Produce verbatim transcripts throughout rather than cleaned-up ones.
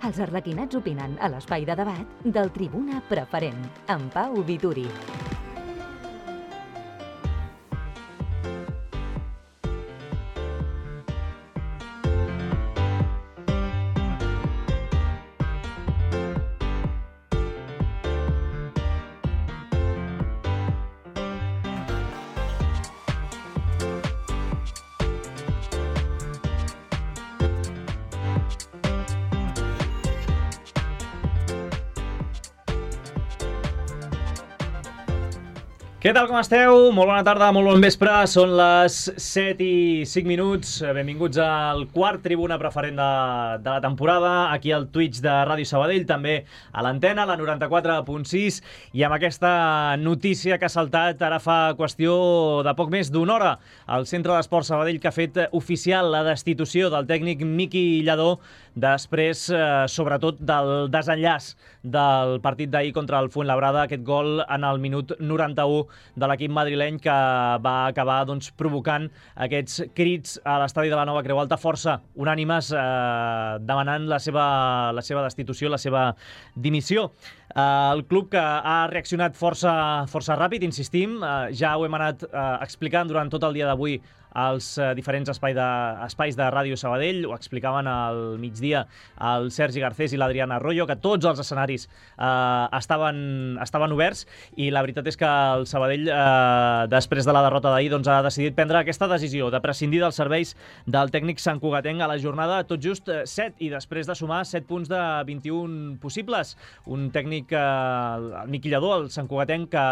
Els arlequinats opinen a l'espai de debat del Tribuna Preferent, amb Pau Vituri. Què tal, com esteu? Molt bona tarda, molt bon vespre. Són les set i cinc minuts. Benvinguts al quart Tribuna Preferent de, de la temporada, aquí al Twitch de Ràdio Sabadell, també a l'antena, la noranta-quatre punt sis, i amb aquesta notícia que ha saltat ara fa qüestió de poc més d'una hora. El Centre d'Esports Sabadell, que ha fet oficial la destitució del tècnic Miqui Lladó després, eh, sobretot, del desenllaç del partit d'ahir contra el Fuenlabrada, aquest gol en el minut noranta-u de l'equip madrileny que va acabar doncs, provocant aquests crits a l'estadi de la Nova Creu Alta, força unànimes, eh, demanant la seva, la seva destitució, la seva dimissió. Eh, el club, que ha reaccionat força, força ràpid, insistim, eh, ja ho hem anat eh, explicant durant tot el dia d'avui als eh, diferents espai de, espais de Ràdio Sabadell. Ho explicaven al migdia el Sergi Garcés i l'Adriana Arroyo, que tots els escenaris eh, estaven, estaven oberts, i la veritat és que el Sabadell, eh, després de la derrota d'ahir, doncs, ha decidit prendre aquesta decisió de prescindir dels serveis del tècnic santcugatenc a la jornada tot just set, i després de sumar set punts de vint-i-un possibles. Un tècnic, eh, el Miqui Lladó, el santcugatenc, que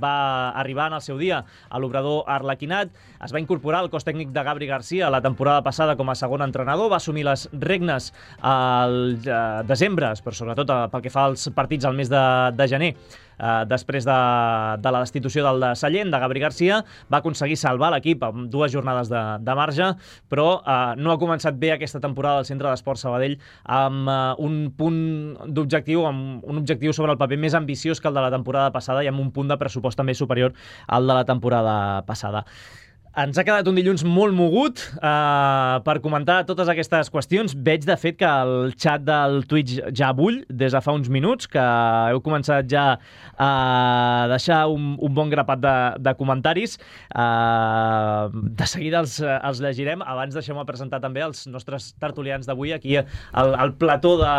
va arribar en el seu dia a l'Obrador Arlequinat, es va incorporar al cos tècnic de Gabri Garcia la temporada passada com a segon entrenador, va assumir les regnes al eh, desembre, però sobretot eh, pel que fa als partits al mes de, de gener. Uh, després de, de la destitució del de Sallent, de Gabri Garcia, va aconseguir salvar l'equip amb dues jornades de, de marge, però uh, no ha començat bé aquesta temporada del Centre d'Esports Sabadell, amb uh, un punt d'objectiu, amb un objectiu sobre el paper més ambiciós que el de la temporada passada, i amb un punt de pressupost també superior al de la temporada passada. Ens ha quedat un dilluns molt mogut eh, per comentar totes aquestes qüestions. Veig, de fet, que el xat del Twitch ja bull des de fa uns minuts, que heu començat ja a deixar un, un bon grapat de, de comentaris. Eh, de seguida els, els llegirem. Abans deixem-me presentar també els nostres tertulians d'avui aquí al, al plató de,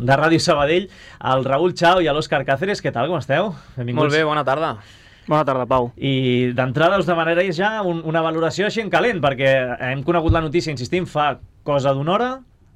de Ràdio Sabadell, el Raül Chao i l'Òscar Cáceres. Què tal, com esteu? Benvinguts. Molt bé, bona tarda. Bona tarda, Pau. I d'entrada us demanaré ja un, una valoració així en calent, perquè hem conegut la notícia, insistim, fa cosa d'una hora.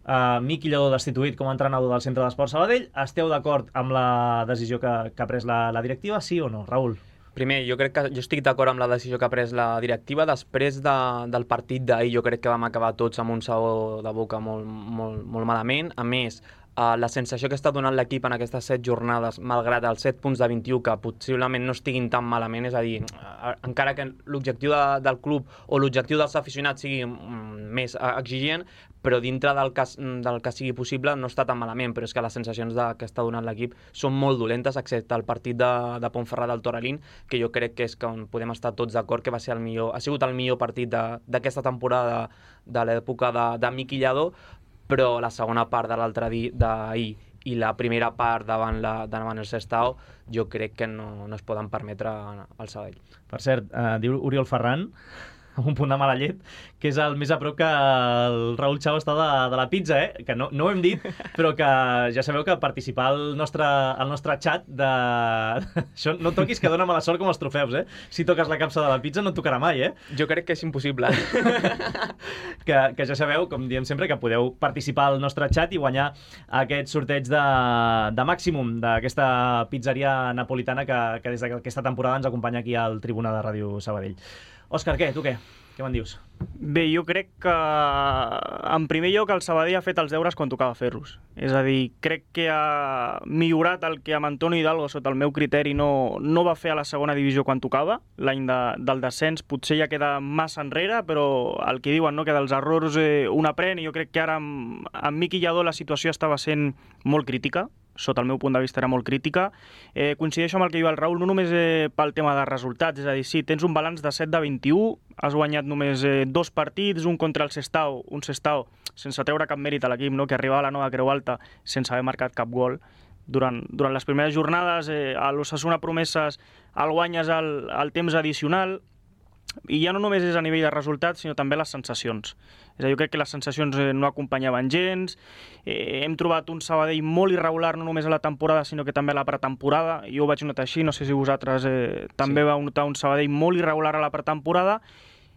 Uh, Miqui Lladó destituït com a entrenador del Centre d'Esports Sabadell. Esteu d'acord amb la decisió que, que ha pres la, la directiva, sí o no, Raül? Primer, jo crec que jo estic d'acord amb la decisió que ha pres la directiva. Després de, del partit d'ahir, jo crec que vam acabar tots amb un sabor de boca molt, molt, molt malament. A més, Uh, la sensació que està donant l'equip en aquestes set jornades, malgrat els set punts de vint-i-u, que possiblement no estiguin tan malament, és a dir, uh, encara que l'objectiu de, del club o l'objectiu dels aficionats sigui um, més uh, exigent, però dintre del que, del que sigui possible no està tan malament, però és que les sensacions de, que està donant l'equip són molt dolentes, excepte el partit de, de Pontferrat del Toralín, que jo crec que és que podem estar tots d'acord que va ser el millor, ha sigut el millor partit d'aquesta temporada de, de l'època de, de Miqui Lladó, però la segona part de l'altre dia d'ahir i la primera part davant, la, davant el Sestao, jo crec que no, no es poden permetre al Sabadell. Per cert, eh, diu Oriol Ferran, amb un punt de mala llet, que és el més a prop que el Raül Chao està de, de la pizza, eh? Que no, no ho hem dit, però que ja sabeu que participar al nostre, al nostre xat de... Això no toquis, que dona mala sort com els trofeus, eh? Si toques la capsa de la pizza no et tocarà mai, eh? Jo crec que és impossible. que, que ja sabeu, com diem sempre, que podeu participar al nostre xat i guanyar aquest sorteig de, de màximum d'aquesta pizzeria napolitana que, que des d'aquesta temporada ens acompanya aquí al Tribuna de Ràdio Sabadell. Òscar, què? Tu què? Què me'n dius? Bé, jo crec que en primer lloc el Sabadell ha fet els deures quan tocava fer-los. És a dir, crec que ha millorat el que amb Antonio Hidalgo, sota el meu criteri, no, no va fer a la segona divisió quan tocava. L'any de, del descens potser ja queda massa enrere, però el que diuen, no?, que dels errors eh, un aprèn, i jo crec que ara amb, amb Miqui Lladó la situació estava sent molt crítica. sota el meu punt de vista era molt crítica. Eh, coincideixo amb el que diu el Raül, no només eh, pel tema de resultats, és a dir, sí, tens un balanç de set de vint-i-u, has guanyat només eh, dos partits, un contra el Sestao, un Sestao sense treure cap mèrit a l'equip, no? Que arribava a la nova Creu Alta sense haver marcat cap gol. Durant, durant les primeres jornades, eh, a l'Osasuna Promeses el guanyes al, al temps addicional, i ja no només és a nivell de resultats, sinó també les sensacions. És a dir, jo crec que les sensacions eh, no acompanyaven gens, eh, hem trobat un Sabadell molt irregular, no només a la temporada, sinó que també a la pretemporada. Jo ho vaig notar així, no sé si vosaltres eh, també sí. Vau notar un Sabadell molt irregular a la pretemporada,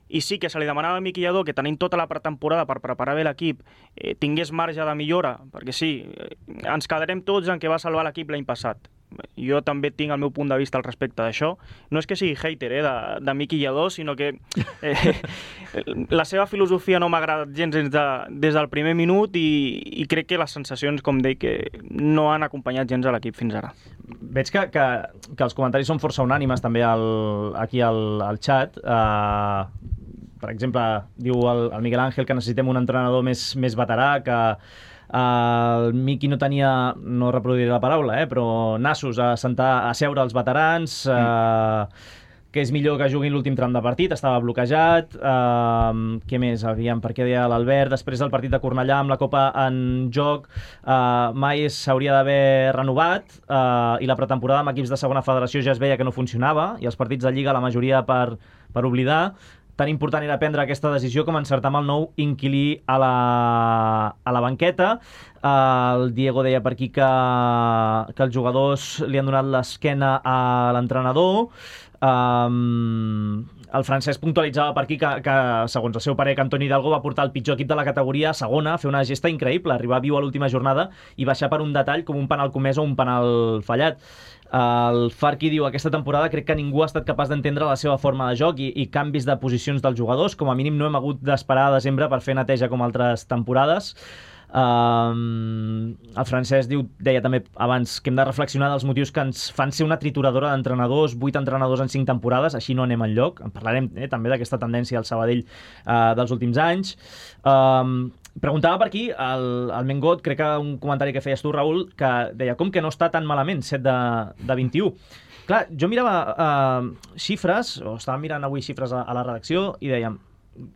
i sí que se li demanava a Miqui Lladó que tenint tota la pretemporada per preparar bé l'equip eh, tingués marge de millora, perquè sí, eh, ens quedarem tots en què va salvar l'equip l'any passat. Jo també tinc el meu punt de vista al respecte d'això. No és que sigui hater eh, de, de Miqui Lladó, sinó que eh, la seva filosofia no m'ha agradat gens des, de, des del primer minut i, i crec que les sensacions, com deia, que no han acompanyat gens a l'equip fins ara. Veig que, que, que els comentaris són força unànimes també al, aquí al, al xat. Uh, per exemple, diu el, el Miguel Ángel que necessitem un entrenador més, més veterà, que uh, el Miqui no tenia, no reproduiré la paraula, eh, però nassos a sentar, a seure els veterans, uh, que és millor que juguin l'últim tram de partit, estava bloquejat. Uh, què més? Aviam, per què deia l'Albert? Després del partit de Cornellà amb la Copa en joc, uh, mai s'hauria d'haver renovat, uh, i la pretemporada amb equips de segona federació ja es veia que no funcionava, i els partits de Lliga la majoria per, per oblidar. Tan important era prendre aquesta decisió com encertar amb el nou inquilí a la, a la banqueta. Uh, el Diego deia per aquí que, que els jugadors li han donat l'esquena a l'entrenador. Um, el Francesc puntualitzava per aquí que, que, segons el seu parer, que Antoni Hidalgo va portar el pitjor equip de la categoria a segona a fer una gesta increïble, arribar viu a l'última jornada i baixar per un detall com un penal comès o un penal fallat. El Farqui diu: aquesta temporada crec que ningú ha estat capaç d'entendre la seva forma de joc i, i canvis de posicions dels jugadors. Com a mínim no hem hagut d'esperar a desembre per fer neteja com altres temporades. Um, el Francesc diu, deia també abans que hem de reflexionar dels motius que ens fan ser una trituradora d'entrenadors, vuit entrenadors en cinc temporades, així no anem enlloc. En parlarem eh, també d'aquesta tendència al Sabadell uh, dels últims anys. Um, preguntava per aquí el, el Mengot, crec que un comentari que feies tu, Raül, que deia com que no està tan malament set de, de vint-i-u. Clar, jo mirava uh, xifres, o estava mirant avui xifres a, a la redacció, i dèiem,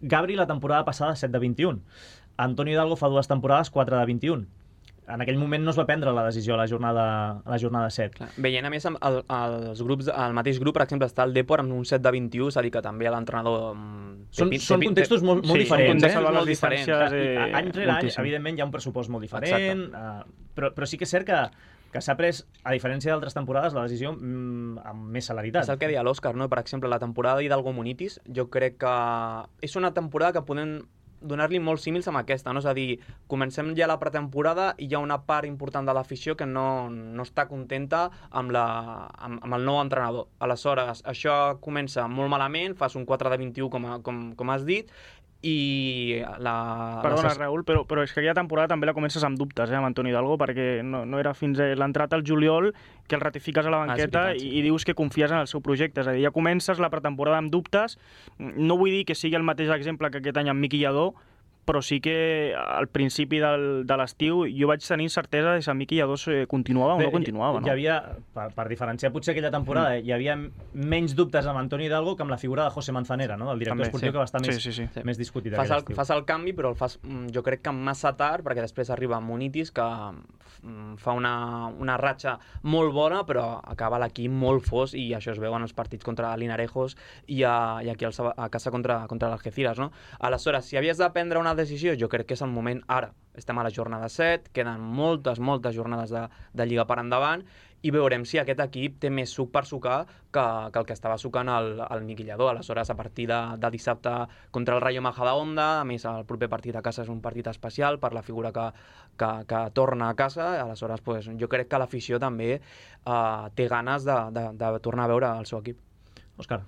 Gabri la temporada passada set de vint-i-un, Antonio Hidalgo fa dues temporades quatre de vint-i-un. En aquell moment no es va prendre la decisió a la jornada, a la jornada set. Clar. Veient a més el, els grups, el mateix grup, per exemple, està el Depor amb un set de vint-i-u, és a dir que també l'entrenador... Són, són contextos molt, molt sí, diferents. Són eh? molt diferents. Eh, any rere any, evidentment, hi ha un pressupost molt diferent, uh, però, però sí que és cert que que s'ha pres, a diferència d'altres temporades, la decisió mm, amb més celeritat. És el que deia l'Òscar, no? Per exemple, la temporada d'Hidalgo Munitis, jo crec que és una temporada que podem donar-li molts símils amb aquesta, no? És a dir, comencem ja la pretemporada i hi ha una part important de l'afició que no, no està contenta amb, la, amb, amb el nou entrenador. Aleshores, això comença molt malament, fas un quatre de vint-i-u, com, a, com, com has dit, i la... Perdona, la... Raül, però, però és que aquella temporada també la comences amb dubtes, eh, amb Antoni Hidalgo, perquè no, no era fins a l'entrada al juliol que el ratifiques a la banqueta ah, veritat, sí. i, i dius que confies en el seu projecte. És a dir, ja comences la pretemporada amb dubtes. No vull dir que sigui el mateix exemple que aquest any amb Miqui Lladó, però sí que al principi del, de l'estiu jo vaig tenir certesa de si el Miqui Lladó continuava o Bé, no continuava. Hi, hi havia, per, per diferenciar potser aquella temporada, mm. hi havia menys dubtes amb Antoni Hidalgo que amb la figura de José Manzanera, no? Del director També, esportiu, sí. que va estar sí, més, sí, sí. més discutit fas aquell el, estiu. fas el canvi, però el fas jo crec que massa tard, perquè després arriba Munitis, que fa una, una ratxa molt bona, però acaba l'equip molt fos, i això es veu en els partits contra l'Inarejos i, a, i aquí a casa contra, contra l'Algeciras, no? Aleshores, si havies de prendre una decisió, jo crec que és el moment ara. Estem a la jornada set, queden moltes, moltes jornades de, de Lliga per endavant, i veurem si aquest equip té més suc per sucar que, que el que estava sucant el, el Miqui Lladó. Aleshores, a partir de, de dissabte contra el Rayo Majadahonda, a més el proper partit a casa és un partit especial per la figura que, que, que torna a casa, aleshores pues, jo crec que l'afició també uh, té ganes de, de, de tornar a veure el seu equip. Òscar.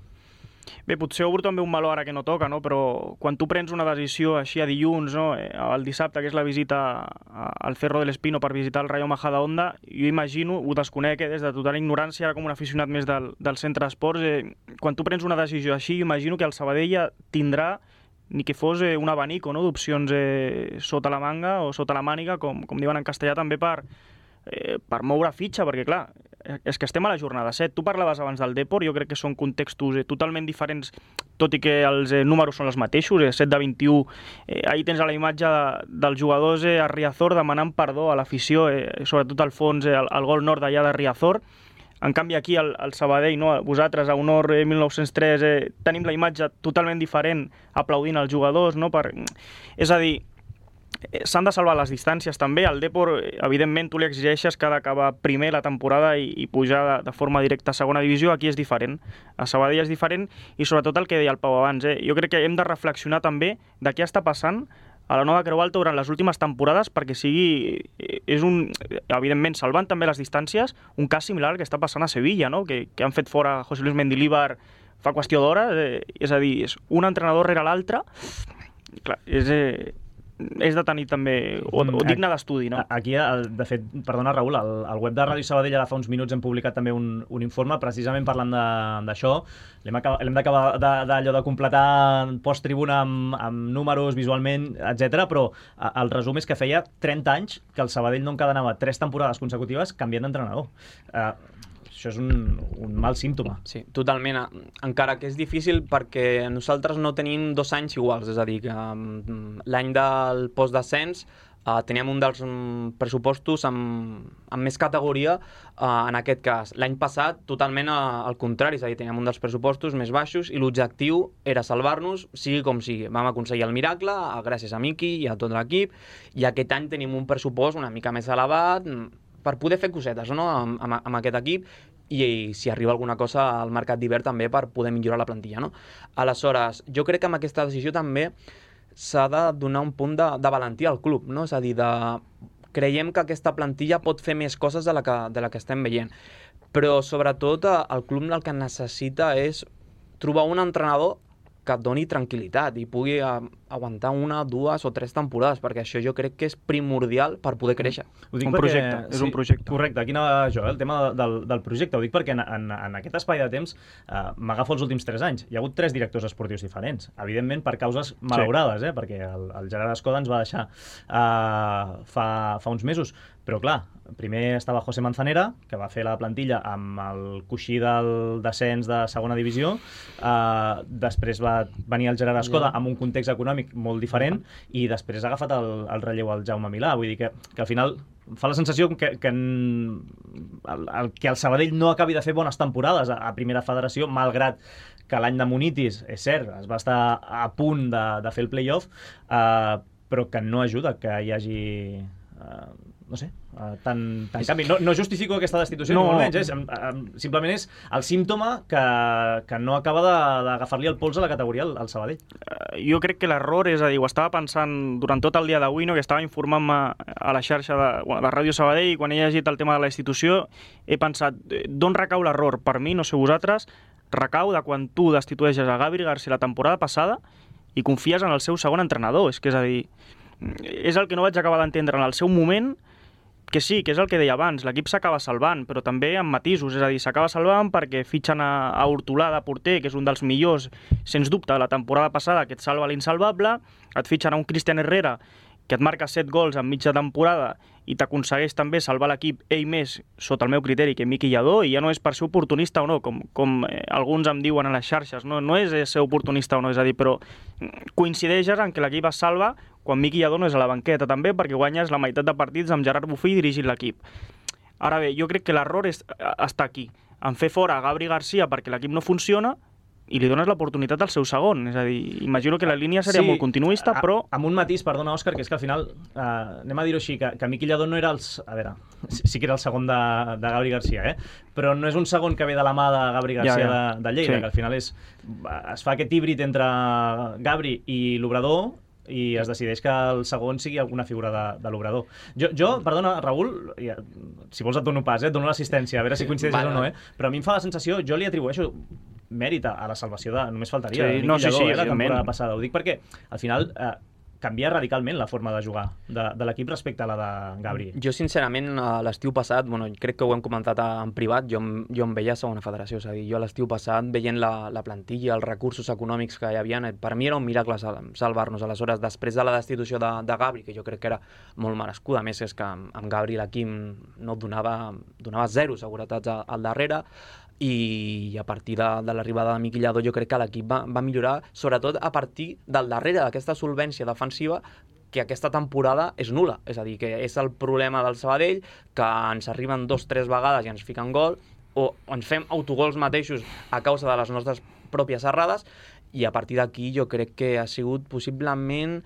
Bé, potser obro també un meló ara que no toca, no? Però quan tu prens una decisió així a dilluns, no? El dissabte, que és la visita al Cerro del Espino per visitar el Rayo Majadahonda, jo imagino, ho desconec, eh, des de total ignorància, ara com un aficionat més del, del centre d'esports, eh, quan tu prens una decisió així, jo imagino que el Sabadell ja tindrà ni que fos eh, un abanico, no? D'opcions eh, sota la manga o sota la màniga, com, com diuen en castellà, també per, eh, per moure fitxa, perquè clar, és que estem a la jornada set. Tu parlaves abans del Depor, jo crec que són contextos eh, totalment diferents, tot i que els eh, números són els mateixos, eh, set de vint-i-u. Eh, ahir tens a la imatge de, dels jugadors eh, a Riazor demanant perdó a l'afició, eh, sobretot al fons, eh, el, el gol nord d'allà de Riazor. En canvi aquí al, al Sabadell, no? Vosaltres a Honor eh, mil nou-cents tres eh, tenim la imatge totalment diferent aplaudint els jugadors, no? Per... És a dir, s'han de salvar les distàncies també. El Depor, evidentment, tu li exigeixes que ha d'acabar primer la temporada i, i pujar de, de forma directa a segona divisió. Aquí és diferent. A Sabadell és diferent i sobretot el que deia el Pau abans. Eh? Jo crec que hem de reflexionar també de què està passant a la Nova Creu Alta durant les últimes temporades perquè sigui, és un, evidentment, salvant també les distàncies, un cas similar al que està passant a Sevilla, no? que, que han fet fora José Luis Mendilibar fa qüestió d'hores. Eh? És a dir, és un entrenador rere l'altre. Clar, és... Eh, és de tenir també, o, o digne d'estudi, no? Aquí, de fet, perdona Raül, al, al web de Ràdio Sabadell ara fa uns minuts hem publicat també un, un informe precisament parlant d'això. L'hem d'acabar d'allò de, de completar post-tribuna amb, amb números, visualment, etcètera. Però el resum és que feia trenta anys que el Sabadell no encadenava tres temporades consecutives canviant d'entrenador. Uh, Això és un, un mal símptoma. Sí, totalment. Encara que és difícil perquè nosaltres no tenim dos anys iguals, és a dir, que um, l'any del postdescens uh, teníem un dels um, pressupostos amb, amb més categoria, uh, en aquest cas. L'any passat, totalment uh, al contrari, és a dir, teníem un dels pressupostos més baixos i l'objectiu era salvar-nos, sigui com sigui. Vam aconseguir el miracle, uh, gràcies a Miqui i a tot l'equip, i aquest any tenim un pressupost una mica més elevat per poder fer cosetes, no?, amb, amb, amb aquest equip, i, i si arriba alguna cosa al mercat d'hivern també per poder millorar la plantilla, no? Aleshores, jo crec que amb aquesta decisió també s'ha de donar un punt de, de valentia al club, no? És a dir, de... creiem que aquesta plantilla pot fer més coses de la que, de la que estem veient, però sobretot el club el que necessita és trobar un entrenador que et doni tranquil·litat i pugui aguantar una, dues o tres temporades, perquè això jo crec que és primordial per poder créixer. Ho dic un perquè, projecte, és sí, un projecte. Correcte, aquí anava jo, el tema del, del projecte. Ho dic perquè en, en, en aquest espai de temps eh, m'agafo els últims tres anys. Hi ha hagut tres directors esportius diferents, evidentment per causes malaurades, eh, perquè el, el Gerard Escoda ens va deixar eh, fa, fa uns mesos. Però clar, primer estava José Manzanera, que va fer la plantilla amb el coixí del descens de segona divisió, eh, després va venir el Gerard Escoda amb un context econòmic molt diferent i després ha agafat el, el relleu al Jaume Milà. Vull dir que, que al final fa la sensació que, que, en, el, el, que el Sabadell no acabi de fer bones temporades a, a primera federació, malgrat que l'any de Munitis, és cert, es va estar a punt de, de fer el play-off, eh, però que no ajuda que hi hagi... Eh, no sé, uh, tan, tan canvi. No, no justifico aquesta destitució, no, ni molt menys, és, um, um, simplement és el símptoma que, que no acaba d'agafar-li el pols a la categoria al, al Sabadell. Uh, jo crec que l'error és a dir, ho estava pensant durant tot el dia d'avui, no, que estava informant-me a la xarxa de, bueno, de Ràdio Sabadell, i quan he llegit el tema de la institució he pensat, d'on recau l'error? Per mi, no sé vosaltres, recau de quan tu destitueixes a Gabri García la temporada passada i confies en el seu segon entrenador. És que és a dir, és el que no vaig acabar d'entendre en el seu moment, que sí, que és el que deia abans, l'equip s'acaba salvant, però també amb matisos, és a dir, s'acaba salvant perquè fitxen a, a Hortolà de porter, que és un dels millors, sens dubte, de la temporada passada, que et salva l'insalvable, et fitxen a un Cristian Herrera, que et marca set gols en mitja temporada i t'aconsegueix també salvar l'equip ell més, sota el meu criteri, que Miqui Lladó, i ja no és per ser oportunista o no, com, com eh, alguns em diuen a les xarxes, no, no és ser oportunista o no, és a dir, però coincideixes en que l'equip es salva quan Miqui Lladó no és a la banqueta també, perquè guanyes la meitat de partits amb Gerard Bofill dirigint l'equip. Ara bé, jo crec que l'error està aquí, en fer fora a Gabri García perquè l'equip no funciona i li dones l'oportunitat al seu segon. És a dir, imagino que la línia seria sí, molt continuista, però... Amb un matís, perdona, Òscar, que és que al final, eh, anem a dir-ho així, que, que Miqui Lladó no era els... A veure, sí que era el segon de, de Gabri García, eh? Però no és un segon que ve de la mà de Gabri García ja, ja. De, de Lleida, sí. Que al final és, es fa aquest híbrid entre Gabri i l'Obrador, i es decideix que el segon sigui alguna figura de, de l'Obrador. Jo, jo, perdona, Raül, ja, si vols et dono pas, eh, et dono l'assistència, a veure si coincideix vale. O no, eh? Però a mi em fa la sensació, jo li atribueixo mèrit a la salvació de... Només faltaria, sí, de no, sí, Lladó, sí, eh, la temporada passada. Ho dic perquè, al final, eh, canvia radicalment la forma de jugar de, de l'equip respecte a la de Gabri. Jo, sincerament, l'estiu passat, bueno, crec que ho hem comentat en privat, jo, jo em veia a segona federació, és a dir, jo l'estiu passat, veient la, la plantilla, els recursos econòmics que hi havia, per mi era un miracle salvar-nos. Aleshores, després de la destitució de, de Gabri, que jo crec que era molt merescuda, a més és que amb, amb Gabri l'equip no donava, donava zero seguretats al, al darrere, i a partir de, de l'arribada de Miquel Lladó jo crec que l'equip va, va millorar, sobretot a partir del darrere d'aquesta solvència defensiva que aquesta temporada és nul·la. És a dir, que és el problema del Sabadell, que ens arriben dos, tres vegades i ens fiquen gol, o ens fem autogols mateixos a causa de les nostres pròpies errades, i a partir d'aquí jo crec que ha sigut possiblement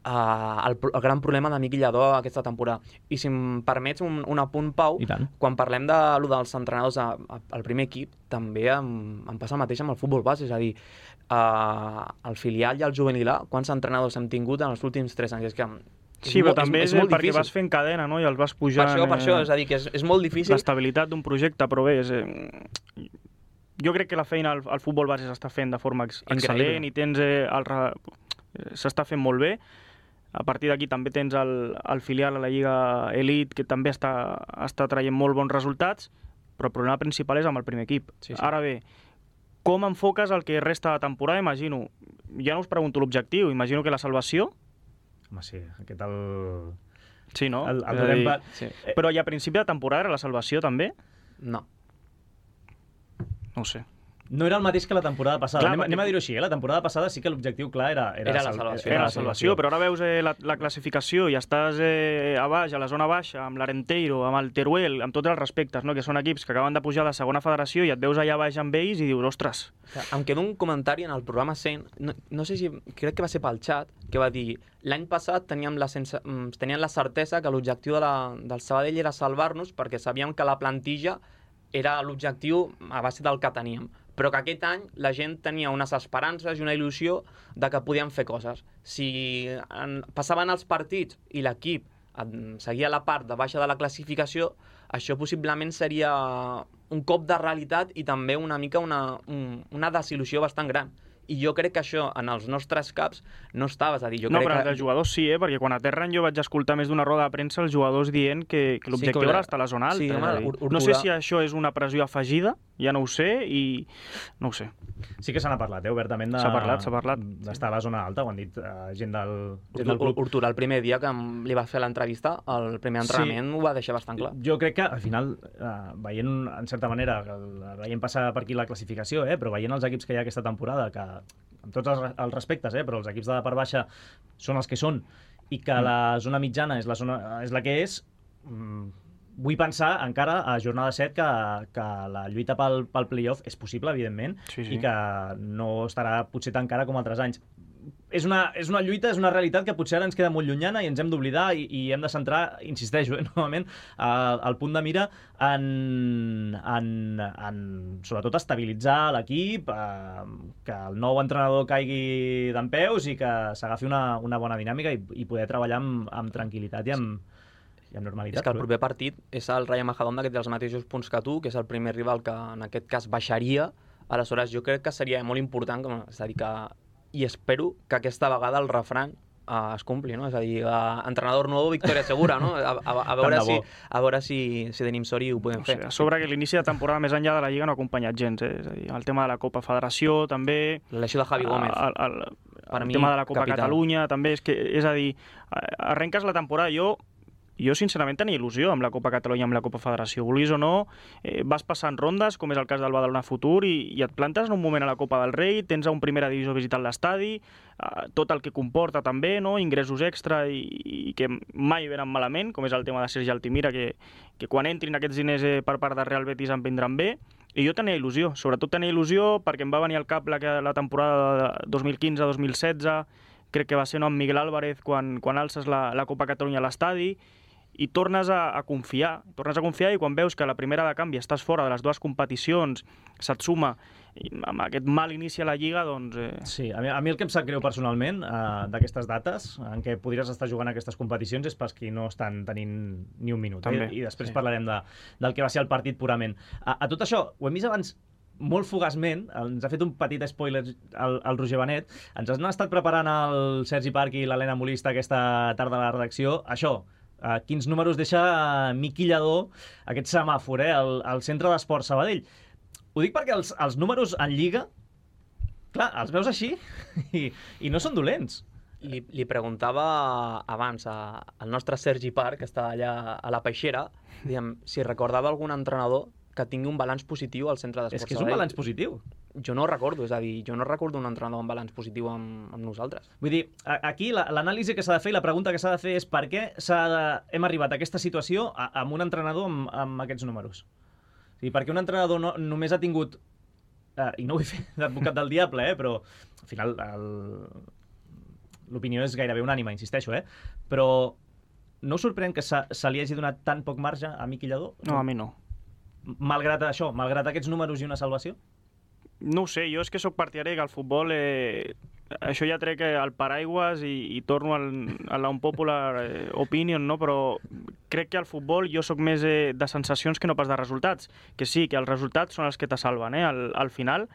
Uh, el, el gran problema de Miquel Lladó aquesta temporada. I si em permets un, un apunt, Pau, quan parlem de lo dels entrenadors a, a, al primer equip, també em, em passa el mateix amb el futbol base, és a dir, uh, el filial i el juvenil A, quants entrenadors hem tingut en els últims tres anys? És que sí, però també és, és, és perquè difícil. Vas fent cadena, no? I els vas pujant... Per això, per això, és a dir, que és, és molt difícil... L'estabilitat d'un projecte, però bé, és... Eh... Jo crec que la feina al, al futbol base s'està fent de forma ex excel·lent. Increïble. I tens eh, el... s'està fent molt bé. A partir d'aquí també tens el, el filial a la Lliga Elite, que també està, està traient molt bons resultats, però el problema principal és amb el primer equip. Sí, sí. Ara bé, com enfoques el que resta de temporada? Imagino, ja no us pregunto l'objectiu, imagino que la salvació... Home, sí, aquest el... Sí, no? El, el dir, pa... sí. Però ja a principi de temporada era la salvació també? No. No ho sé. No era el mateix que la temporada passada. Clar, anem, anem a dir-ho així, eh? La temporada passada sí que l'objectiu clar era, era, era la salvació. Era la salvació, però ara veus eh, la, la classificació i estàs eh, a baix, a la zona baixa, amb l'Arenteiro, amb el Teruel, amb tots els respectes, no? Que són equips que acaben de pujar de segona federació i et veus allà baix amb ells i dius, ostres... Em queda un comentari en el programa cent, no, no sé si, crec que va ser pel xat, que va dir, l'any passat teníem la, sense, teníem la certesa que l'objectiu de la, del Sabadell era salvar-nos perquè sabíem que la plantilla era l'objectiu a base del que teníem, però que aquest any la gent tenia unes esperances i una il·lusió de que podien fer coses. Si en, passaven els partits i l'equip seguia la part de baixa de la classificació, això possiblement seria un cop de realitat i també una mica una, un, una desil·lusió bastant gran. I jo crec que això en els nostres caps no estava, és a dir, jo no, crec però que... els jugadors sí, eh? Perquè quan aterren jo vaig escoltar més d'una roda de premsa els jugadors dient que, que l'objectiu sí, era estar a la zona alta. Sí, home, ur, ur, no sé si això és una pressió afegida, ja no ho sé, i no ho sé. Sí que se n'ha parlat, eh, obertament, de... S'ha parlat, s'ha parlat. D'estar a la zona alta, ho han dit uh, gent, del, gent del club. Urtura, el primer dia que li va fer l'entrevista, el primer entrenament sí. Ho va deixar bastant clar. Jo crec que, al final, uh, veient, en certa manera, veient passar per aquí la classificació, eh, però veient els equips que hi ha aquesta temporada, que amb tots els, els respectes, eh, però els equips de la part baixa són els que són, i que mm. la zona mitjana és la, zona, és la que és, mm, vull pensar encara a jornada set que, que la lluita pel, pel play-off és possible, evidentment, sí, sí. I que no estarà potser tan cara com altres anys. És una, és una lluita, és una realitat que potser ara ens queda molt llunyana i ens hem d'oblidar i, i hem de centrar, insisteixo, eh, novament, el, el punt de mira en, en, en sobretot estabilitzar l'equip, eh, que el nou entrenador caigui dempeus i que s'agafi una, una bona dinàmica i, i poder treballar amb, amb tranquil·litat i amb, i amb normalitat. És que el proper partit és el Rayo Majadahonda, que té els mateixos punts que tu, que és el primer rival que en aquest cas baixaria. Aleshores jo crec que seria molt important, és a dir, que i espero que aquesta vegada el refrany uh, es compli, no? És a dir, uh, entrenador nou, victòria segura, no? A, a, a veure, si, a veure si, si tenim sort i ho podem no fer. Sé, a sobre que l'inici de temporada més enllà de la Lliga no ha acompanyat gens, eh? És a dir, el tema de la Copa Federació també... L'elecció de Javi Gómez. El, el, el, el tema de la Copa capital. Catalunya també, és, que, és a dir, arrenques la temporada, jo... Jo, sincerament, tenia il·lusió amb la Copa Catalunya, amb la Copa Federació. Vulguis o no, eh, vas passant rondes, com és el cas del Badalona Futur, i, i et plantes en un moment a la Copa del Rei, tens a un primera divisió visitant l'estadi, eh, tot el que comporta també, no? Ingressos extra i, i que mai venen malament, com és el tema de Sergi Altimira, que, que quan entrin aquests diners eh, per part de Real Betis em vindran bé. I jo tenia il·lusió, sobretot tenia il·lusió perquè em va venir al cap la, la temporada de dos mil quinze dos mil setze, crec que va ser no, amb Miguel Álvarez quan, quan alces la, la Copa Catalunya a l'estadi, i tornes a, a confiar, tornes a confiar i quan veus que la primera de canvi estàs fora de les dues competicions, se't suma i amb aquest mal inici a la Lliga, doncs... Eh... Sí, a mi, a mi el que em sap greu personalment eh, d'aquestes dates en què podries estar jugant aquestes competicions és pels que no estan tenint ni un minut. Eh? I després sí. parlarem de, del que va ser el partit purament. A, a tot això, ho hem vist abans molt fugaçment, ens ha fet un petit spoiler el, el Roger Benet, ens han estat preparant el Sergi Parc i l'Helena Molista aquesta tarda a la redacció, això, uh, quins números deixa Miqui Lladó, aquest semàfor, eh, al, al centre d'esport Sabadell. Ho dic perquè els, els números en Lliga, clar, els veus així i, i no són dolents. Li, li preguntava abans a, al nostre Sergi Parc, que està allà a la Peixera, diguem, si recordava algun entrenador que tingui un balanç positiu al centre d'esport. És que és un balanç positiu. Jo no ho recordo, és a dir, jo no recordo un entrenador amb balanç positiu amb, amb nosaltres. Vull dir, a, aquí l'anàlisi que s'ha de fer i la pregunta que s'ha de fer és per què de, hem arribat a aquesta situació a, amb un entrenador amb, amb aquests números. O sigui, perquè un entrenador no, només ha tingut, eh, i no vull fer d'advocat del diable, eh, però al final l'opinió és gairebé unànima, insisteixo, eh? Però no us sorprèn que se, se li hagi donat tan poc marge a Miqui Lladó? No, a mi no. Malgrat això, malgrat aquests números i una salvació? No ho sé, jo és que sóc partidari que el futbol, eh, això ja trec el paraigües i, i torno al, a la unpopular eh, opinion, no? Però crec que al futbol jo sóc més eh, de sensacions que no pas de resultats. Que sí, que els resultats són els que te salven, eh, al, al final.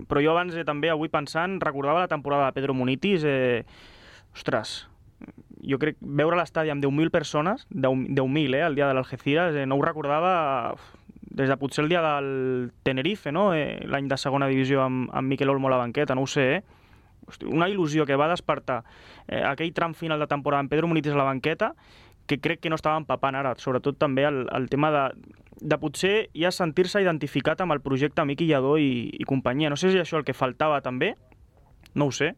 Però jo abans eh, també, avui pensant, recordava la temporada de Pedro Munitis, eh, ostres, jo crec veure l'estadi amb deu mil persones, deu mil, eh, el dia de l'Algeciras, eh, no ho recordava des de potser el dia del Tenerife, no? Eh, l'any de segona divisió amb, amb Miquel Olmo a la banqueta, no ho sé, eh? Hosti, una il·lusió que va despertar eh, aquell tram final de temporada amb Pedro Munitis a la banqueta, que crec que no estava empapant ara, sobretot també el, el tema de, de potser ja sentir-se identificat amb el projecte Miqui Lladó i, i companyia. No sé si això el que faltava també, no ho sé,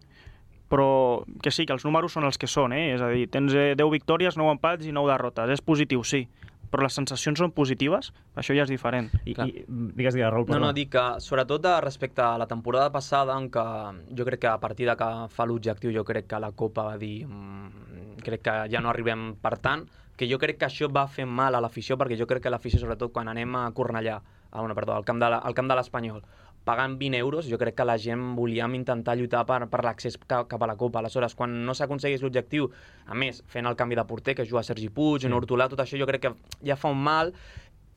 però que sí, que els números són els que són, eh? És a dir, tens deu victòries, nou empats i nou derrotes. És positiu, sí, però les sensacions són positives, això ja és diferent. I, i digues, digues, Raül, perdó. No, no, dic que sobretot respecte a la temporada passada, en què jo crec que a partir de que fa l'objectiu, jo crec que la Copa va dir mmm, crec que ja no arribem per tant, que jo crec que això va fer mal a l'afició, perquè jo crec que l'afició, sobretot quan anem a Cornellà, a, bueno, perdó, al camp de la, al camp de l'Espanyol, pagant vint euros, jo crec que la gent volíem intentar lluitar per, per l'accés cap a la Copa. Aleshores, quan no s'aconseguís l'objectiu, a més, fent el canvi de porter, que juga Sergi Puig, sí. Hortolà, tot això jo crec que ja fa un mal,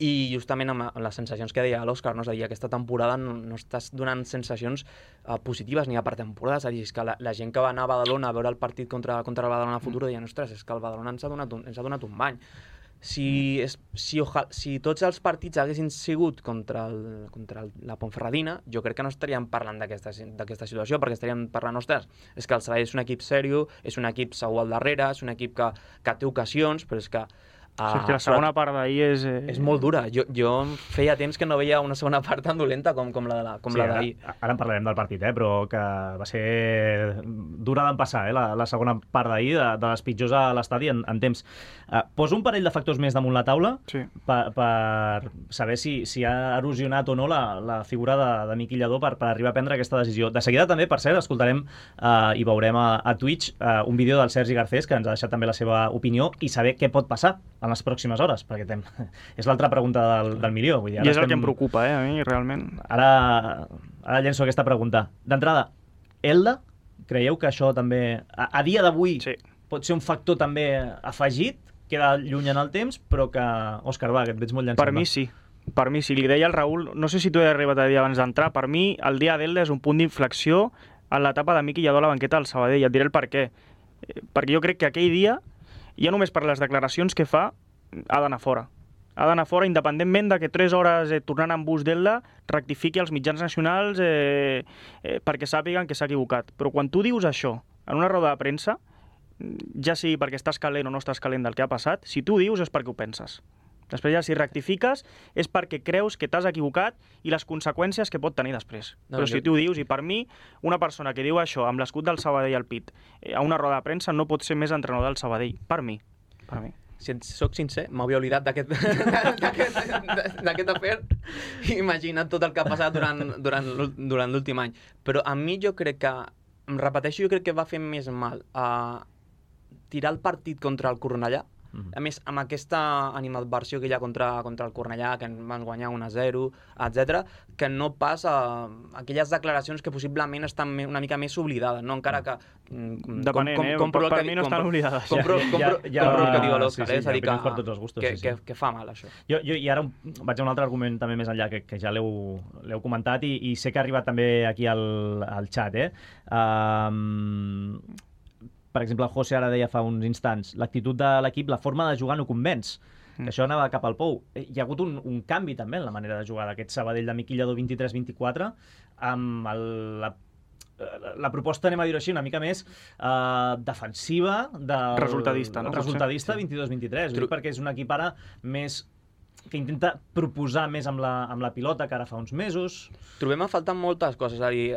i justament amb les sensacions que deia l'Òscar, no? És a dir, aquesta temporada no, no estàs donant sensacions uh, positives ni a per temporada, és a dir, és que la, la gent que va anar a Badalona a veure el partit contra, contra el Badalona Futur deia, ostres, és que el Badalona ens ha donat un, ens ha donat un bany. Si, és, si, oja, si tots els partits haguessin sigut contra, el, contra el, la Ponferradina, jo crec que no estaríem parlant d'aquesta situació, perquè estaríem parlant, ostres, és que el Sabadell és un equip sèrio, és un equip segur al darrere, és un equip que, que té ocasions, però és que Uh, sí, que la segona part d'ahir és... Eh... És molt dura. Jo, jo feia temps que no veia una segona part tan dolenta com, com la de la, com sí, la d'ahir. Ara, ara en parlarem del partit, eh? Però que va ser dura d'empassar, eh? la, la segona part d'ahir, de, de les pitjors a l'estadi en, en temps. Uh, poso un parell de factors més damunt la taula sí. per, per saber si, si ha erosionat o no la, la figura de, de Miqui Lladó per, per arribar a prendre aquesta decisió. De seguida també, per cert, escoltarem uh, i veurem a, a Twitch uh, un vídeo del Sergi Garcés, que ens ha deixat també la seva opinió, i saber què pot passar en les pròximes hores, perquè tem... és l'altra pregunta del, del milió. Vull dir, ara I és estem... el que em preocupa, eh, a mi, realment. Ara, ara llenço aquesta pregunta. D'entrada, Elda, creieu que això també, a, a dia d'avui, sí. pot ser un factor també afegit, queda lluny en el temps, però que... Òscar, va, que et veig molt llançat. Per mi sí. Per mi sí. Li deia al Raül, no sé si t'ho he arribat a dir abans d'entrar, per mi el dia d'Elda és un punt d'inflexió en l'etapa de Miqui Lladó a la banqueta del Sabadell. Et diré el per què. Perquè jo crec que aquell dia, ja només per les declaracions que fa, ha d'anar fora. Ha d'anar fora, independentment de que tres hores eh, tornant amb bus d'Elda rectifiqui els mitjans nacionals eh, eh, perquè sàpiguen que s'ha equivocat. Però quan tu dius això en una roda de premsa, ja sigui perquè estàs calent o no estàs calent del que ha passat, si tu dius és perquè ho penses. Després ja si rectifiques és perquè creus que t'has equivocat i les conseqüències que pot tenir després. No, Però jo... si tu ho dius, i per mi, una persona que diu això amb l'escut del Sabadell al pit eh, a una roda de premsa no pot ser més entrenador del Sabadell. Per mi. Per mi. Si soc sincer, m'havia oblidat d'aquest afer. Imagina't tot el que ha passat durant, durant, durant l'últim any. Però a mi jo crec que, em repeteixo, jo crec que va fer més mal a tirar el partit contra el Cornellà Mm-hmm. A més, amb aquesta animadversió que hi ha contra, contra el Cornellà, que van guanyar un a zero, etcètera, que no pas a aquelles declaracions que possiblement estan una mica més oblidades, no? Encara que... Depenent, com, com, eh? Per, per mi no estan oblidades. Compro, compro, ja, ja, compro el que diu l'Òscar, sí, sí, és a dir, que, per tots els gustos, que, sí, sí. que, que fa mal, això. Jo, jo i ara vaig a un altre argument també més enllà, que, que ja l'heu comentat i, i sé que ha arribat també aquí al, al xat, eh? Um, per exemple, el José ara deia fa uns instants, l'actitud de l'equip, la forma de jugar no convenç, que això anava cap al pou. Hi ha hagut un, un canvi també en la manera de jugar d'aquest Sabadell de Miquel Lladó vint-i-tres vint-i-quatre, amb el, la, la proposta, anem a dir-ho així, una mica més eh, defensiva, del, resultadista, no? Resultadista vint-i-dos vint-i-tres, sí. Perquè és un equip ara més que intenta proposar més amb la, amb la pilota que ara fa uns mesos. Trobem a faltar moltes coses. És a dir,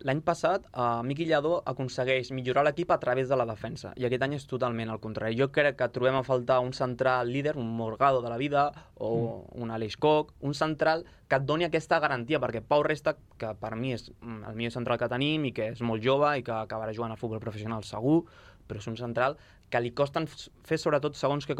l'any passat uh, Miquel Lladó aconsegueix millorar l'equip a través de la defensa i aquest any és totalment al contrari. Jo crec que trobem a faltar un central líder, un Morgado de la vida o mm. un Aleix Koch, un central que et doni aquesta garantia, perquè Pau Resta, que per mi és el millor central que tenim i que és molt jove i que acabarà jugant a futbol professional segur, però és un central que li costen fer sobretot segons què,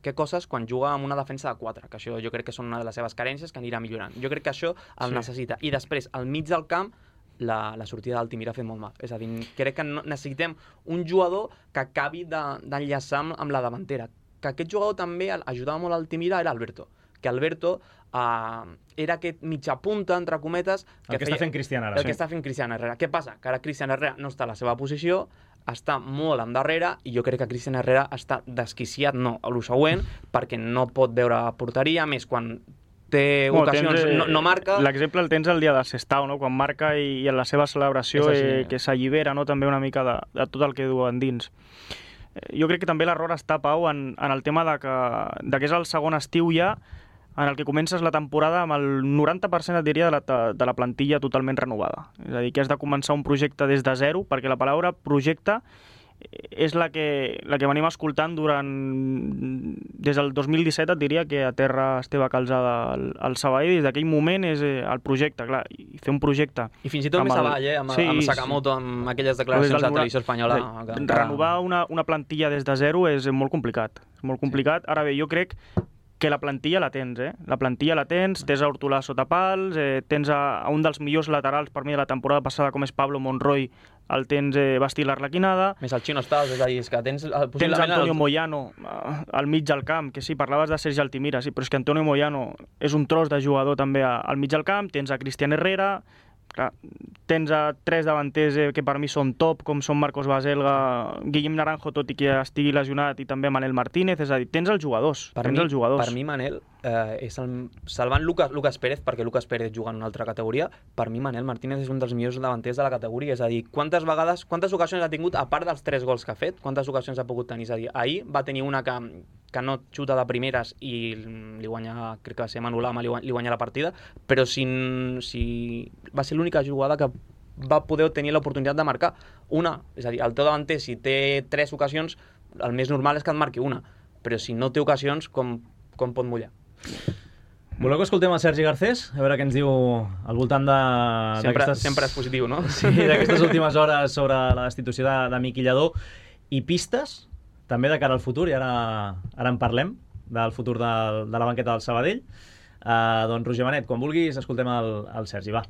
què coses quan juga amb una defensa de quatre, que això jo crec que són una de les seves carències que anirà millorant. Jo crec que això el sí. necessita. I després, al mig del camp, la, la sortida d'Altimira ha fet molt mal. És a dir, crec que no, necessitem un jugador que acabi d'enllaçar de, amb la davantera. Que aquest jugador també ajudava molt a Altimira era Alberto. Que Alberto uh, era aquest mitja punta, entre cometes... Que el que feia, està fent Cristian ara. El sí. que està fent Cristian Herrera. Què passa? Que ara Cristian Herrera no està a la seva posició, està molt endarrere i jo crec que Cristian Herrera està desquiciat, no, a lo següent, perquè no pot veure porteria, més quan té bueno, ocasions, tens, eh, no, no marca... L'exemple el tens el dia de Sestao, no? Quan marca i, i en la seva celebració així, eh, que s'allibera, no? També una mica de, de tot el que duen dins. Jo crec que també l'error està, Pau, en, en el tema de que, de que és el segon estiu ja, en el que comences la temporada amb el noranta per cent, et diria, de la, de la plantilla totalment renovada. És a dir, que has de començar un projecte des de zero, perquè la paraula projecte és la que, la que venim escoltant durant... Des del dos mil disset, et diria, que a terra Esteve Calzada al, al Sabadell, des d'aquell moment és el projecte, clar, i fer un projecte... I fins i tot més el... avall, eh? Amb, sí, amb Sakamoto, amb aquelles declaracions de la televisió espanyola... Que... Renovar una, una plantilla des de zero és molt complicat. És molt complicat. Ara bé, jo crec que la plantilla la tens, eh? La plantilla la tens, tens a Hortolà sota pals, eh, tens a, a un dels millors laterals per mi de la temporada passada, com és Pablo Monroy, el tens eh, vestir l'Arlequinada. Més el Chino Estàs, és a dir, és que tens... Tens Antonio el... Moyano eh, al mig del camp, que sí, parlaves de Sergi Altimira, sí, però és que Antonio Moyano és un tros de jugador també a, al mig del camp, tens a Cristian Herrera... Clar, tens a tres davanters eh, que per mi són top, com són Marcos Baselga, Guillem Naranjo, tot i que estigui lesionat, i també Manel Martínez, és a dir, tens els jugadors. Per, tens mi, els jugadors. per mi, Manel, eh, és el, salvant Lucas, Lucas Pérez, perquè Lucas Pérez juga en una altra categoria, per mi Manel Martínez és un dels millors davanters de la categoria, és a dir, quantes vegades, quantes ocasions ha tingut, a part dels tres gols que ha fet, quantes ocasions ha pogut tenir? És a dir, ahir va tenir una que, que no xuta de primeres i li guanya, crec que va ser Manu Lama, li guanya, li guanya la partida, però si, si va ser l'única jugada que va poder tenir l'oportunitat de marcar una. És a dir, el teu davanter, si té tres ocasions, el més normal és que et marqui una, però si no té ocasions, com, com pot mullar? Voleu que escoltem el Sergi Garcés? A veure què ens diu al voltant de... Sempre, sempre és positiu, no? Sí, d'aquestes últimes hores sobre la destitució de, de Miquel Lladó. I pistes, també de cara al futur, i ara, ara en parlem, del futur de, de la banqueta del Sabadell. Uh, doncs, Roger Benet, quan vulguis, escoltem el, el Sergi, va.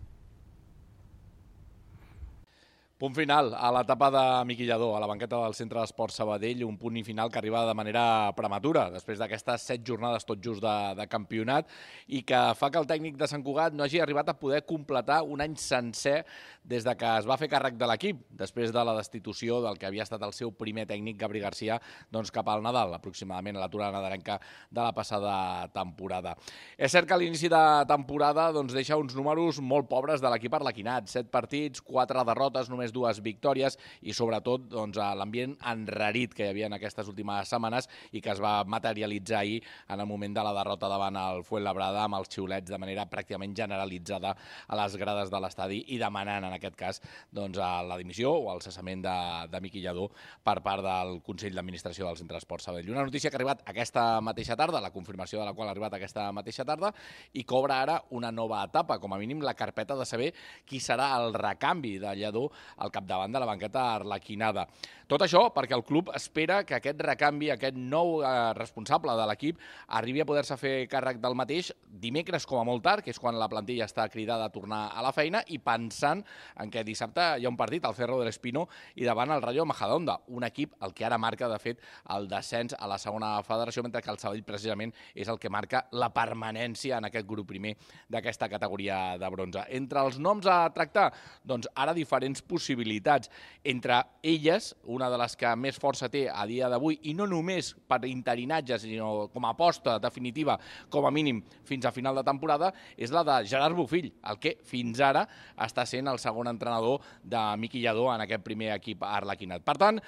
Punt final a l'etapa de Miquel Lladó, a la banqueta del Centre d'Esports Sabadell, un punt final que arriba de manera prematura, després d'aquestes set jornades tot just de, de campionat, i que fa que el tècnic de Sant Cugat no hagi arribat a poder completar un any sencer des de que es va fer càrrec de l'equip, després de la destitució del que havia estat el seu primer tècnic, Gabri Garcia, doncs cap al Nadal, aproximadament a l'aturada nadalenca de la passada temporada. És cert que a l'inici de temporada doncs, deixa uns números molt pobres de l'equip arlequinat, set partits, quatre derrotes, només dues victòries i sobretot doncs, l'ambient enrarit que hi havia en aquestes últimes setmanes i que es va materialitzar ahir en el moment de la derrota davant el Fuenlabrada amb els xiulets de manera pràcticament generalitzada a les grades de l'estadi i demanant en aquest cas doncs, la dimissió o el cessament de, de Miquel Lladó per part del Consell d'Administració del Centre d'Esports Sabadell. Una notícia que ha arribat aquesta mateixa tarda, la confirmació de la qual ha arribat aquesta mateixa tarda i que obre ara una nova etapa, com a mínim la carpeta de saber qui serà el recanvi de Lladó al capdavant de la banqueta arlequinada. Tot això perquè el club espera que aquest recanvi, aquest nou eh, responsable de l'equip, arribi a poder-se fer càrrec del mateix dimecres com a molt tard, que és quan la plantilla està cridada a tornar a la feina, i pensant en que dissabte hi ha un partit al Cerro del Espino i davant el Rayo Majadahonda, un equip el que ara marca, de fet, el descens a la segona federació, mentre que el Sabadell precisament és el que marca la permanència en aquest grup primer d'aquesta categoria de bronze. Entre els noms a tractar, doncs ara diferents possibilitats. Entre elles, una de les que més força té a dia d'avui, i no només per interinatge, sinó com a aposta definitiva, com a mínim fins a final de temporada, és la de Gerard Bofill, el que fins ara està sent el segon entrenador de Miqui Lladó en aquest primer equip arlequinat. Per tant,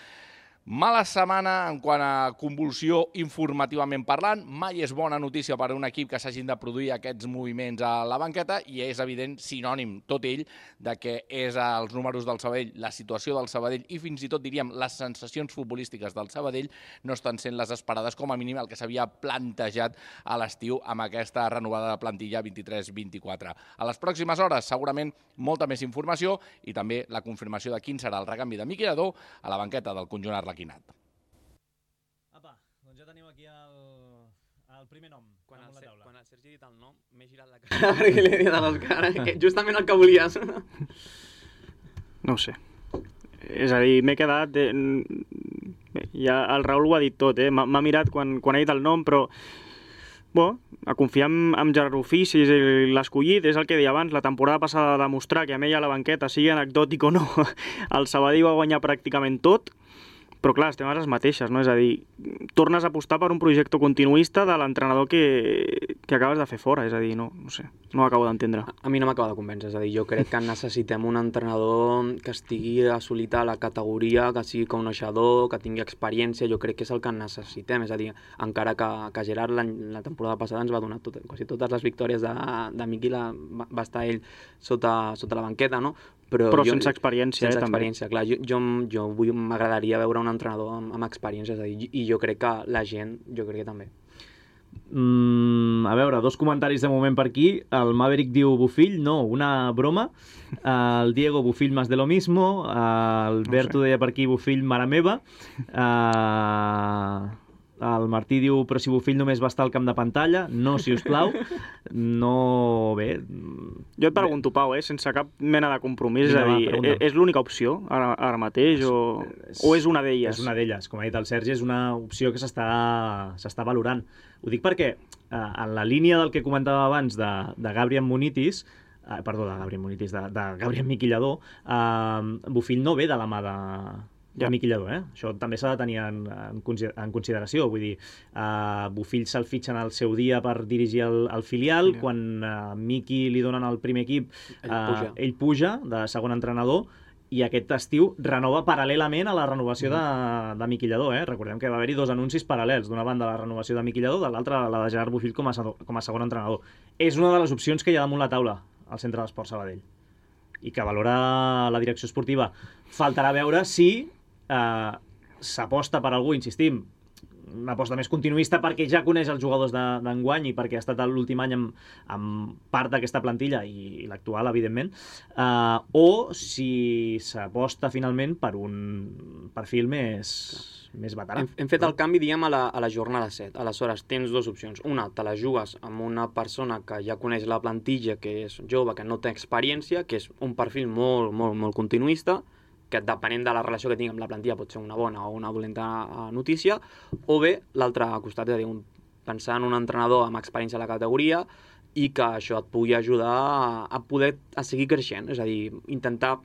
mala setmana en quant a convulsió informativament parlant. Mai és bona notícia per a un equip que s'hagin de produir aquests moviments a la banqueta i és evident, sinònim tot ell, de que és els números del Sabadell, la situació del Sabadell i fins i tot diríem les sensacions futbolístiques del Sabadell no estan sent les esperades, com a mínim el que s'havia plantejat a l'estiu amb aquesta renovada plantilla vint-i-tres vint-i-quatre. A les pròximes hores segurament molta més informació i també la confirmació de quin serà el recanvi de Miqui Lladó a la banqueta del conjunt arlequinat. Apa, doncs ja tenim aquí el, el primer nom quan damunt el, la taula. Quan el Sergi ha dit el nom, m'he girat la cara perquè li he dit a l'Òscar, que justament el que volies. No ho sé. És a dir, m'he quedat... Eh, bé, ja el Raül ho ha dit tot, eh? M'ha mirat quan, quan ha dit el nom, però... Bé, a confiar en, en Gerard Bofill, si és l'escollit, és el que deia abans, la temporada passada de demostrar que amb ell a la banqueta, sigui anecdòtic o no, el Sabadell va guanyar pràcticament tot, però clar, estem a les mateixes, no? És a dir, tornes a apostar per un projecte continuista de l'entrenador que, que acabes de fer fora, és a dir, no, no sé, no ho acabo d'entendre. A mi no m'acaba de convèncer, és a dir, jo crec que necessitem un entrenador que estigui assolit a la categoria, que sigui coneixedor, que tingui experiència, jo crec que és el que necessitem, és a dir, encara que, que Gerard la, la temporada passada ens va donar tot, quasi totes les victòries de, de Miqui, la, va, va estar ell sota, sota la banqueta, no? Però, però jo, sense experiència, sense eh, experiència, també. Clar, jo, jo, jo vull, m'agradaria veure un entrenador amb, amb experiència, és a dir, i jo crec que la gent, jo crec que també. Mm, a veure, dos comentaris de moment per aquí. El Maverick diu Bofill, no, una broma. El Diego, Bofill más de lo mismo. El Berto no sé. Deia per aquí Bofill, mare meva. Uh, el Martí diu, però si Bofill només va estar al camp de pantalla. No, si us plau. No, bé... Jo et pregunto, Pau, eh, sense cap mena de compromís, és a dir, va, és l'única opció ara, ara mateix o, és, o és una d'elles? És una d'elles, com ha dit el Sergi, és una opció que s'està valorant. Ho dic perquè, eh, en la línia del que comentava abans de, de Gabriel Munitis, eh, perdó, de Gabriel Munitis, de, de Gabriel Miqui Lladó, eh, Bofill no ve de la mà de... Ja. Miqui Lladó, eh? Això també s'ha de tenir en, en, en consideració. Vull dir, uh, Bofill se'l fitxen al seu dia per dirigir el, el filial. filial. Quan uh, Miqui li donen el primer equip, ell, uh, puja. ell puja de segon entrenador i aquest estiu renova paral·lelament a la renovació mm. de, de Miqui Lladó. Eh? Recordem que va haver-hi dos anuncis paral·lels. D'una banda la renovació de Miqui Lladó, de l'altra la de Gerard Bofill com a, com a segon entrenador. És una de les opcions que hi ha damunt la taula al Centre d'Esport Sabadell i que valora la direcció esportiva. Faltarà veure si Uh, s'aposta per algú, insistim, una aposta més continuista perquè ja coneix els jugadors d'enguany i perquè ha estat l'últim any amb, amb part d'aquesta plantilla i, i l'actual, evidentment, uh, o si s'aposta finalment per un perfil més, més veterà. Hem, hem fet el canvi, diguem, a la, a la jornada set. Aleshores, tens dues opcions. Una, te la jugues amb una persona que ja coneix la plantilla, que és jove, que no té experiència, que és un perfil molt, molt, molt continuista, que depenent de la relació que tingui amb la plantilla pot ser una bona o una dolenta notícia, o bé l'altre costat, és a dir, un, pensar en un entrenador amb experiència a la categoria i que això et pugui ajudar a, a poder a seguir creixent, és a dir, intentar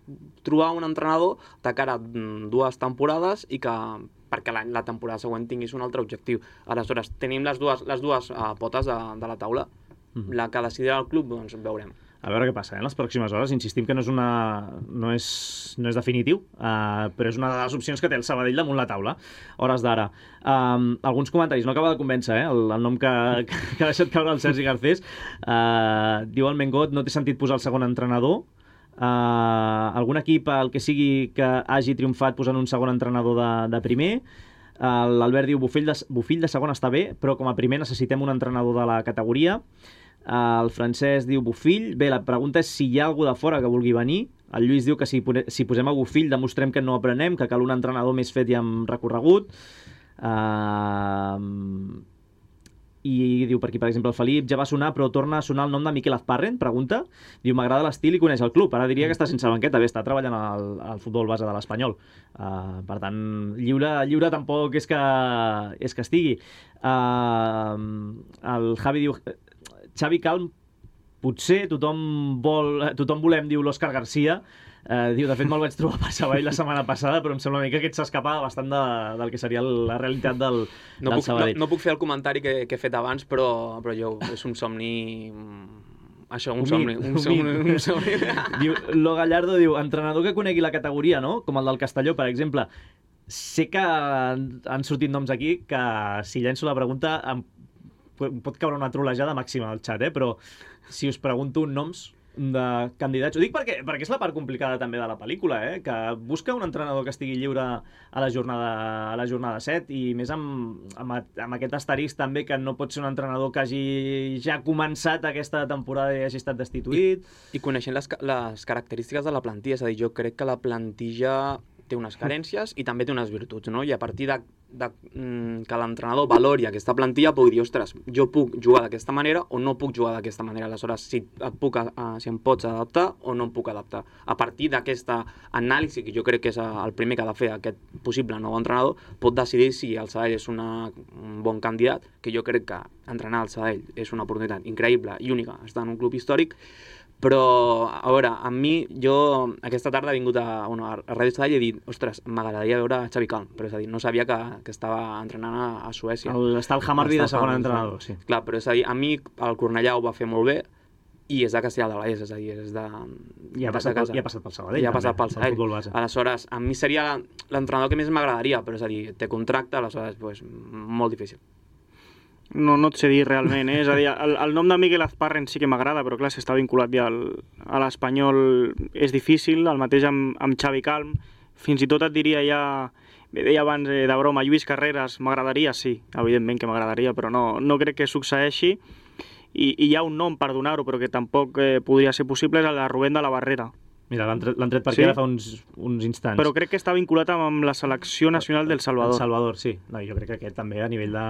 trobar un entrenador de cara a dues temporades i que perquè la, la temporada següent tinguis un altre objectiu. Aleshores, tenim les dues, les dues uh, potes de, de la taula. Mm-hmm. La que decidirà el club, doncs veurem. A veure què passa, eh? En les pròximes hores. Insistim que no és, una... no és, no és definitiu, uh, però és una de les opcions que té el Sabadell damunt la taula, hores d'ara. Um, alguns comentaris, no acaba de convèncer, eh? el, el nom que, que ha deixat caure el Sergi Garcés. Uh, diu el Mengot, no té sentit posar el segon entrenador. Uh, algun equip, el que sigui que hagi triomfat posant un segon entrenador de, de primer. Uh, L'Albert diu, Bofill de, Bofill de segon està bé, però com a primer necessitem un entrenador de la categoria. El Francesc diu Bofill. Bé, la pregunta és si hi ha algú de fora que vulgui venir. El Lluís diu que si, si posem a Bofill demostrem que no aprenem, que cal un entrenador més fet i amb recorregut. Uh, I diu per aquí, per exemple, el Felip ja va sonar, però torna a sonar el nom de Miquel Azparren, pregunta. Diu, m'agrada l'estil i coneix el club. Ara diria que està sense banqueta, bé, està treballant al, al futbol base de l'Espanyol. Uh, per tant, lliure, lliure tampoc és que, és que estigui. Uh, el Javi diu, Xavi Calm, potser tothom vol, tothom volem, diu l'Òscar Garcia. Uh, diu, de fet me'l vaig trobar per Sabadell la setmana passada, però em sembla una mica que aquest s'escapa bastant de, del que seria la realitat del, no del puc, Sabadell. No, no puc fer el comentari que, que he fet abans, però, però jo, és un somni... Això, un, un somni. Mit, un, somni, un, un somni. Diu, Lo Gallardo diu, entrenador que conegui la categoria, no? Com el del Castelló, per exemple. Sé que han sortit noms aquí que, si llenço la pregunta, em pot caure una trolejada màxima al xat, eh? Però si us pregunto noms de candidats, ho dic perquè, perquè és la part complicada també de la pel·lícula, eh? Que busca un entrenador que estigui lliure a la jornada, a la jornada set, i més amb, amb, amb aquest asterisc també que no pot ser un entrenador que hagi ja començat aquesta temporada i hagi estat destituït. I, i coneixent les, les característiques de la plantilla, és a dir, jo crec que la plantilla té unes carències i també té unes virtuts, no? I a partir de, de mm, que l'entrenador valori aquesta plantilla puc dir, ostres, jo puc jugar d'aquesta manera o no puc jugar d'aquesta manera. Aleshores, si, et puc, uh, si em pots adaptar o no em puc adaptar. A partir d'aquesta anàlisi, que jo crec que és el primer que ha de fer aquest possible nou entrenador, pot decidir si el Sabadell és una, un bon candidat, que jo crec que entrenar el Sabadell és una oportunitat increïble i única, està en un club històric. Però, a veure, a mi, jo aquesta tarda he vingut a, bueno, a Ràdio Sabadell i he dit, ostres, m'agradaria veure Xavi Calm, però és a dir, no sabia que, que estava entrenant a, a Suècia. El, està el Hammarby de segon entrenador, sí. Clar, però és a dir, a mi el Cornellà ho va fer molt bé i és de Castellà del Vallès, és a dir, és de... I ha passat, pel, i ha passat pel Sabadell. I ha passat pel Sabadell. Aleshores, a mi seria l'entrenador que més m'agradaria, però és a dir, té contracte, aleshores, pues, molt difícil. No, no et sé dir realment, eh? És a dir, el, el nom de Miquel Azparren sí que m'agrada, però clar, si està vinculat ja al, a l'Espanyol és difícil, el mateix amb, amb Xavi Calm, fins i tot et diria ja, bé, deia abans eh, de broma, Lluís Carreras, m'agradaria, sí, evidentment que m'agradaria, però no, no crec que succeeixi, i, i hi ha un nom per donar-ho, però que tampoc eh, podria ser possible, és el de Rubén de la Barrera. Mira, l'han tret, tret per aquí sí? Ara fa uns, uns instants. Però crec que està vinculat amb la selecció nacional del Salvador. El Salvador, sí. No, jo crec que aquest també a nivell de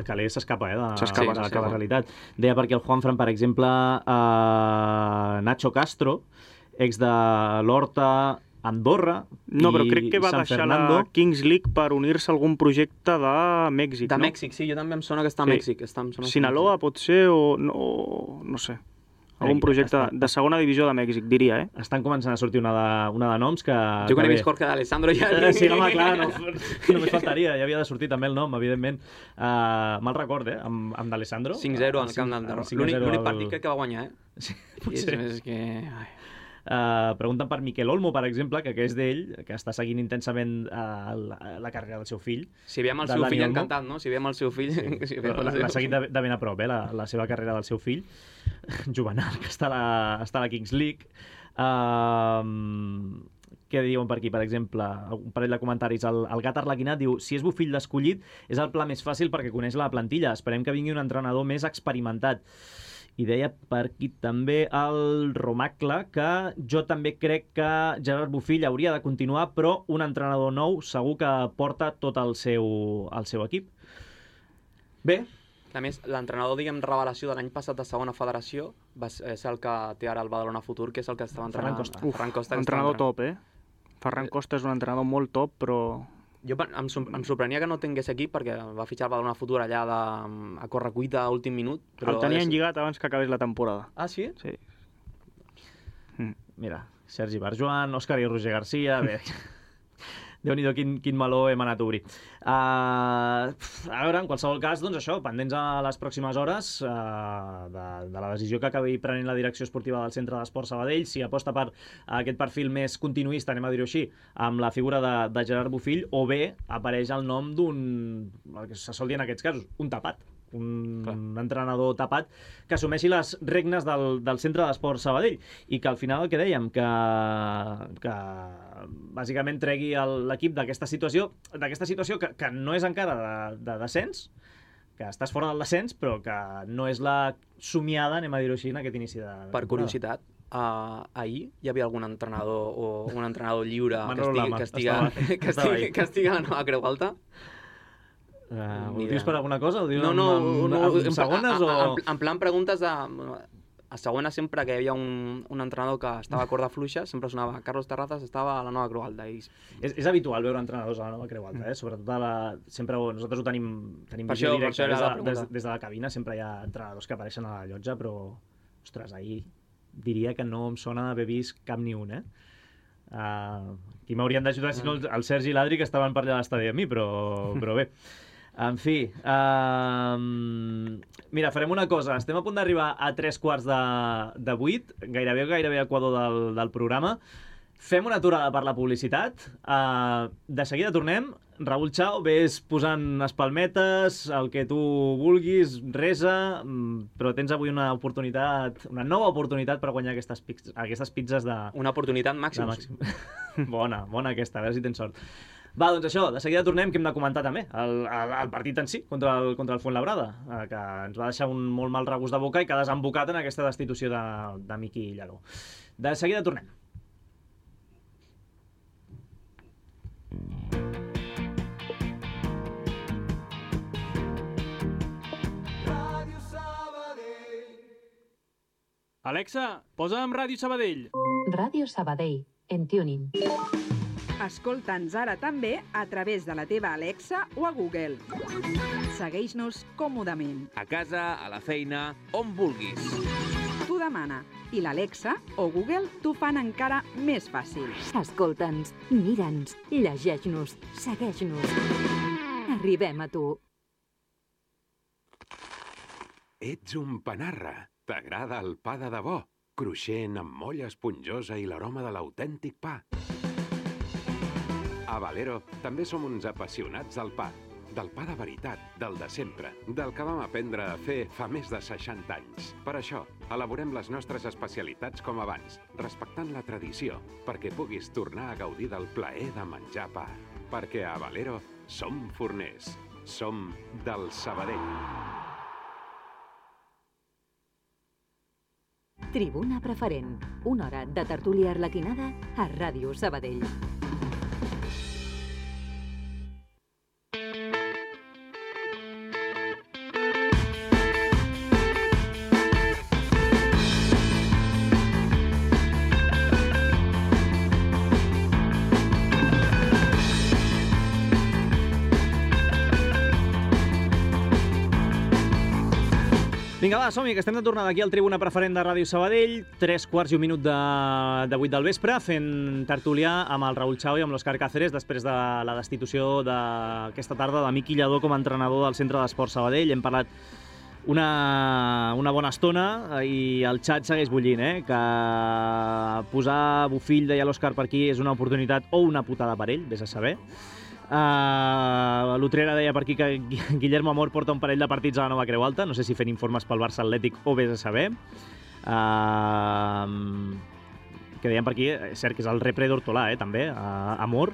calés s'escapa, eh, de, s'escapa, de la sí, realitat. Deia perquè el Juanfran, per exemple, eh, Nacho Castro, ex de l'Horta, Andorra no, però crec que va San deixar Fernando. La Kings League per unir-se a algun projecte de Mèxic, de no? De Mèxic, sí, jo també em sona que està a sí. Mèxic. Està, em sona Sinaloa, pot ser, o no, no sé. Algun projecte està, de segona divisió de Mèxic, diria, eh? Estan començant a sortir una de, una de noms que... Jo quan he vist Jorge d'Alessandro ja... Sí, home, clar, no, només faltaria, ja havia de sortir també el nom, evidentment. Uh, mal record, eh, amb, amb d'Alessandro. cinc zero al camp del Darro. L'únic partit crec que va guanyar, eh? Sí, potser. I és, és que... Ai. Uh, pregunten per Miquel Olmo, per exemple, que, que és d'ell, que està seguint intensament uh, la, la carrera del seu fill. Si veiem el seu fill Olmo. Encantat, no? Si veiem el seu fill... Sí, si l'ha seguit de, de ben a prop, eh, la, la seva carrera del seu fill, Juvenal, que està a la, està a la Kings League. Uh, què diuen per aquí, per exemple? Un parell de comentaris. El, el Gat Arlequinat diu, si és Bofill l'escollit, és el pla més fàcil perquè coneix la plantilla. Esperem que vingui un entrenador més experimentat. I deia per aquí també el Romacle que jo també crec que Gerard Bofill hauria de continuar, però un entrenador nou segur que porta tot el seu, el seu equip. Bé. A més, l'entrenador, diguem, revelació de l'any passat de segona federació va ser, és el que té ara el Badalona Futur, que és el que estava entrenant. Ferran Costa. Uf, Ferran Costa entrenador top, eh? Ferran Costa és un entrenador molt top, però... Jo em, em sorprenia que no tingués equip perquè va fitxar el Badalona Futur allà de, a correcuita a últim minut. Però el tenien és... lligat abans que acabés la temporada. Ah, sí? Sí. Mm. Mira, Sergi Barjoan, Òscar i Roger Garcia... Bé, Déu-n'hi-do quin, quin meló hem anat a obrir. Uh, a veure, en qualsevol cas, doncs això, pendents a les pròximes hores uh, de, de la decisió que acabi prenent la direcció esportiva del Centre d'Esport Sabadell, si aposta per aquest perfil més continuista, anem a dir-ho així, amb la figura de, de Gerard Bofill, o bé apareix el nom d'un, el que se sol dir en aquests casos, un tapat. Un Clar. entrenador tapat que assumeixi les regnes del, del Centre d'Esport Sabadell i que al final el que dèiem que, que bàsicament tregui l'equip d'aquesta situació d'aquesta situació que, que no és encara de, de descens, que estàs fora del descens però que no és la somiada, anem a dir-ho així, en aquest inici de, de per curiositat, Uh, ahir hi havia algun entrenador o un entrenador lliure que Manolo estigui, Lama, que estigui, estava- que estava estigui, ahí. que estigui a la nova Creu Alta? Uh, ho Ni dius idea. per alguna cosa? Ho dius No, no, en, no, en, en en, segones a, o...? a, en, en plan preguntes de... A segona sempre que hi havia un, un entrenador que estava a corda fluixa, sempre sonava Carlos Terrazas estava a la nova Creu Alta. I... És, és habitual veure entrenadors a la nova Creu Alta, eh? Sobretot a la... sempre nosaltres ho tenim, tenim Per visió això- per directa. això era Des, la de, des, pregunta. des de la cabina sempre hi ha entrenadors que apareixen a la llotja, però, ostres, ahir diria que no em sona d'haver vist cap ni un, eh? Uh, qui m'haurien d'ajudar, si no, el, el Sergi i l'Adri, que estaven per allà a l'estadi amb mi, però, però bé. En fi, uh, mira, farem una cosa. Estem a punt d'arribar a tres quarts de, de vuit, gairebé, gairebé a equador del, del programa. Fem una aturada per la publicitat. Uh, de seguida tornem. Raül Chao, ves posant espalmetes, el que tu vulguis, resa, mm, però tens avui una oportunitat, una nova oportunitat per guanyar aquestes, pizzas, aquestes pizzas de, Una oportunitat de màxima. màxim. Bona, bona aquesta, a veure si tens sort. Va, doncs això, de seguida tornem, que hem de comentar també el, el, el partit en si, contra el, contra el Fuenlabrada, eh, que ens va deixar un molt mal regust de boca i que ha desembocat en aquesta destitució de, de Miqui Lladó. De seguida tornem. Alexa, posa'm Ràdio Sabadell. Ràdio Sabadell, en Tuning. Escolta'ns ara també a través de la teva Alexa o a Google. Segueix-nos còmodament. A casa, a la feina, on vulguis. Tu demana i l'Alexa o Google t'ho fan encara més fàcil. Escolta'ns, mira'ns, llegeix-nos, segueix-nos. Arribem a tu. Ets un panarra. T'agrada el pa de debò, cruixent amb molla esponjosa i l'aroma de l'autèntic pa. A Valero també som uns apassionats del pa. Del pa de veritat, del de sempre, del que vam aprendre a fer fa més de seixanta anys. Per això, elaborem les nostres especialitats com abans, respectant la tradició, perquè puguis tornar a gaudir del plaer de menjar pa. Perquè a Valero som forners, som del Sabadell. Tribuna Preferent, una hora de tertúlia arlequinada a Ràdio Sabadell. Vinga, va, som-hi, que estem de tornada aquí al Tribuna Preferent de Ràdio Sabadell, tres quarts i un minut de, de vuit del vespre, fent tertulià amb el Raül Chao i amb l'Òscar Cáceres després de la destitució d'aquesta tarda de Miqui Lladó com a entrenador del Centre d'Esport Sabadell. Hem parlat una, una bona estona i el xat segueix bullint, eh? Que posar Bufill, deia l'Òscar per aquí, és una oportunitat o una putada per ell, vés a saber. Uh, L'Utrera deia per aquí que Guillermo Amor porta un parell de partits a la nova Creu Alta, no sé si fent informes pel Barça Atlètic o vés a saber. Uh, que deien per aquí, és cert que és el repre d'Hortolà, eh, també, uh, Amor.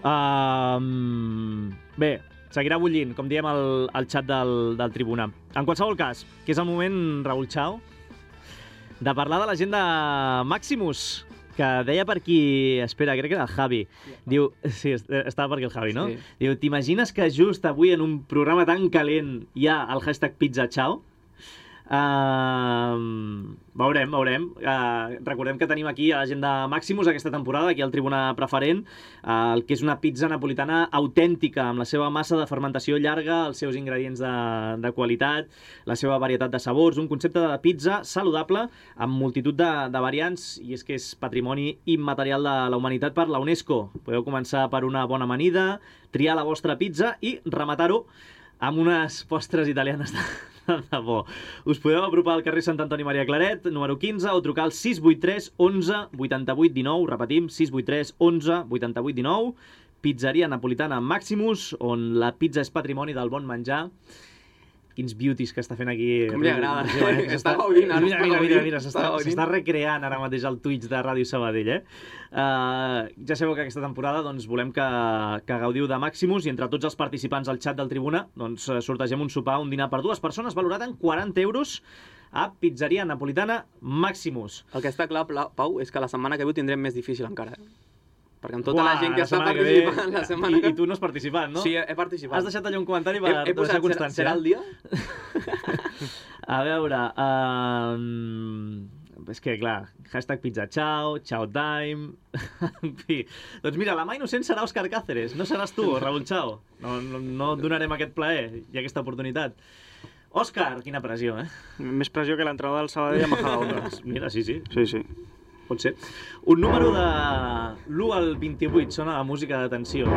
Uh, bé, seguirà bullint, com diem al, al xat del, del Tribuna. En qualsevol cas, que és el moment, Raül Chao, de parlar de la gent de Maximus, que deia per aquí, espera, crec que era el Javi, diu, sí, estava per aquí el Javi, no? Sí. Diu, t'imagines que just avui en un programa tan calent hi ha el hashtag Pizza Chao? Uh, veurem, veurem. Uh, recordem que tenim aquí a la gent de Maximus aquesta temporada, aquí al Tribuna Preferent, uh, el que és una pizza napolitana autèntica, amb la seva massa de fermentació llarga, els seus ingredients de, de qualitat, la seva varietat de sabors, un concepte de pizza saludable amb multitud de, de variants, i és que és patrimoni immaterial de la humanitat per la UNESCO. Podeu començar per una bona amanida, triar la vostra pizza i rematar-ho amb unes postres italianes de, de bo. Us podeu apropar al carrer Sant Antoni Maria Claret, número quinze, o trucar al sis vuit tres onze vuitanta-vuit dinou, repetim, sis vuit tres onze vuitanta-vuit dinou, pizzeria napolitana Maximus, on la pizza és patrimoni del bon menjar. Quins beauties que està fent aquí. Com li agrada. Sí, eh? Està gaudint, ara Mira, està mira, mira, gaudint. mira, s'està Està gaudint. s'està recreant ara mateix el Twitch de Ràdio Sabadell, eh? Uh, ja sabeu que aquesta temporada doncs, volem que, que gaudiu de Maximus i entre tots els participants al xat del Tribuna doncs, sortegem un sopar, un dinar per dues persones valorat en quaranta euros a Pizzeria Napolitana Maximus. El que està clar, Pau, és que la setmana que ve ho tindrem més difícil encara. Perquè amb tota Uà, la gent que la està setmana que participant ve- la setmana I, que... I tu no has participat, no? Sí, he participat. Has deixat allà un comentari per He, he deixar posat, serà, constància. serà el dia? A veure... Um... És que, clar, hashtag pizza ciao, ciao time... En fi, doncs mira, la mà innocent serà Òscar Cáceres, no seràs tu, Raúl Chao. No, no, no et donarem aquest plaer i aquesta oportunitat. Òscar, quina pressió, eh? Més pressió que l'entrenador del Sabadell a Majadahonda. Mira, sí, sí, Sí, sí. pot ser. Un número de l'u al vint-i-vuit, sona la música de tensió.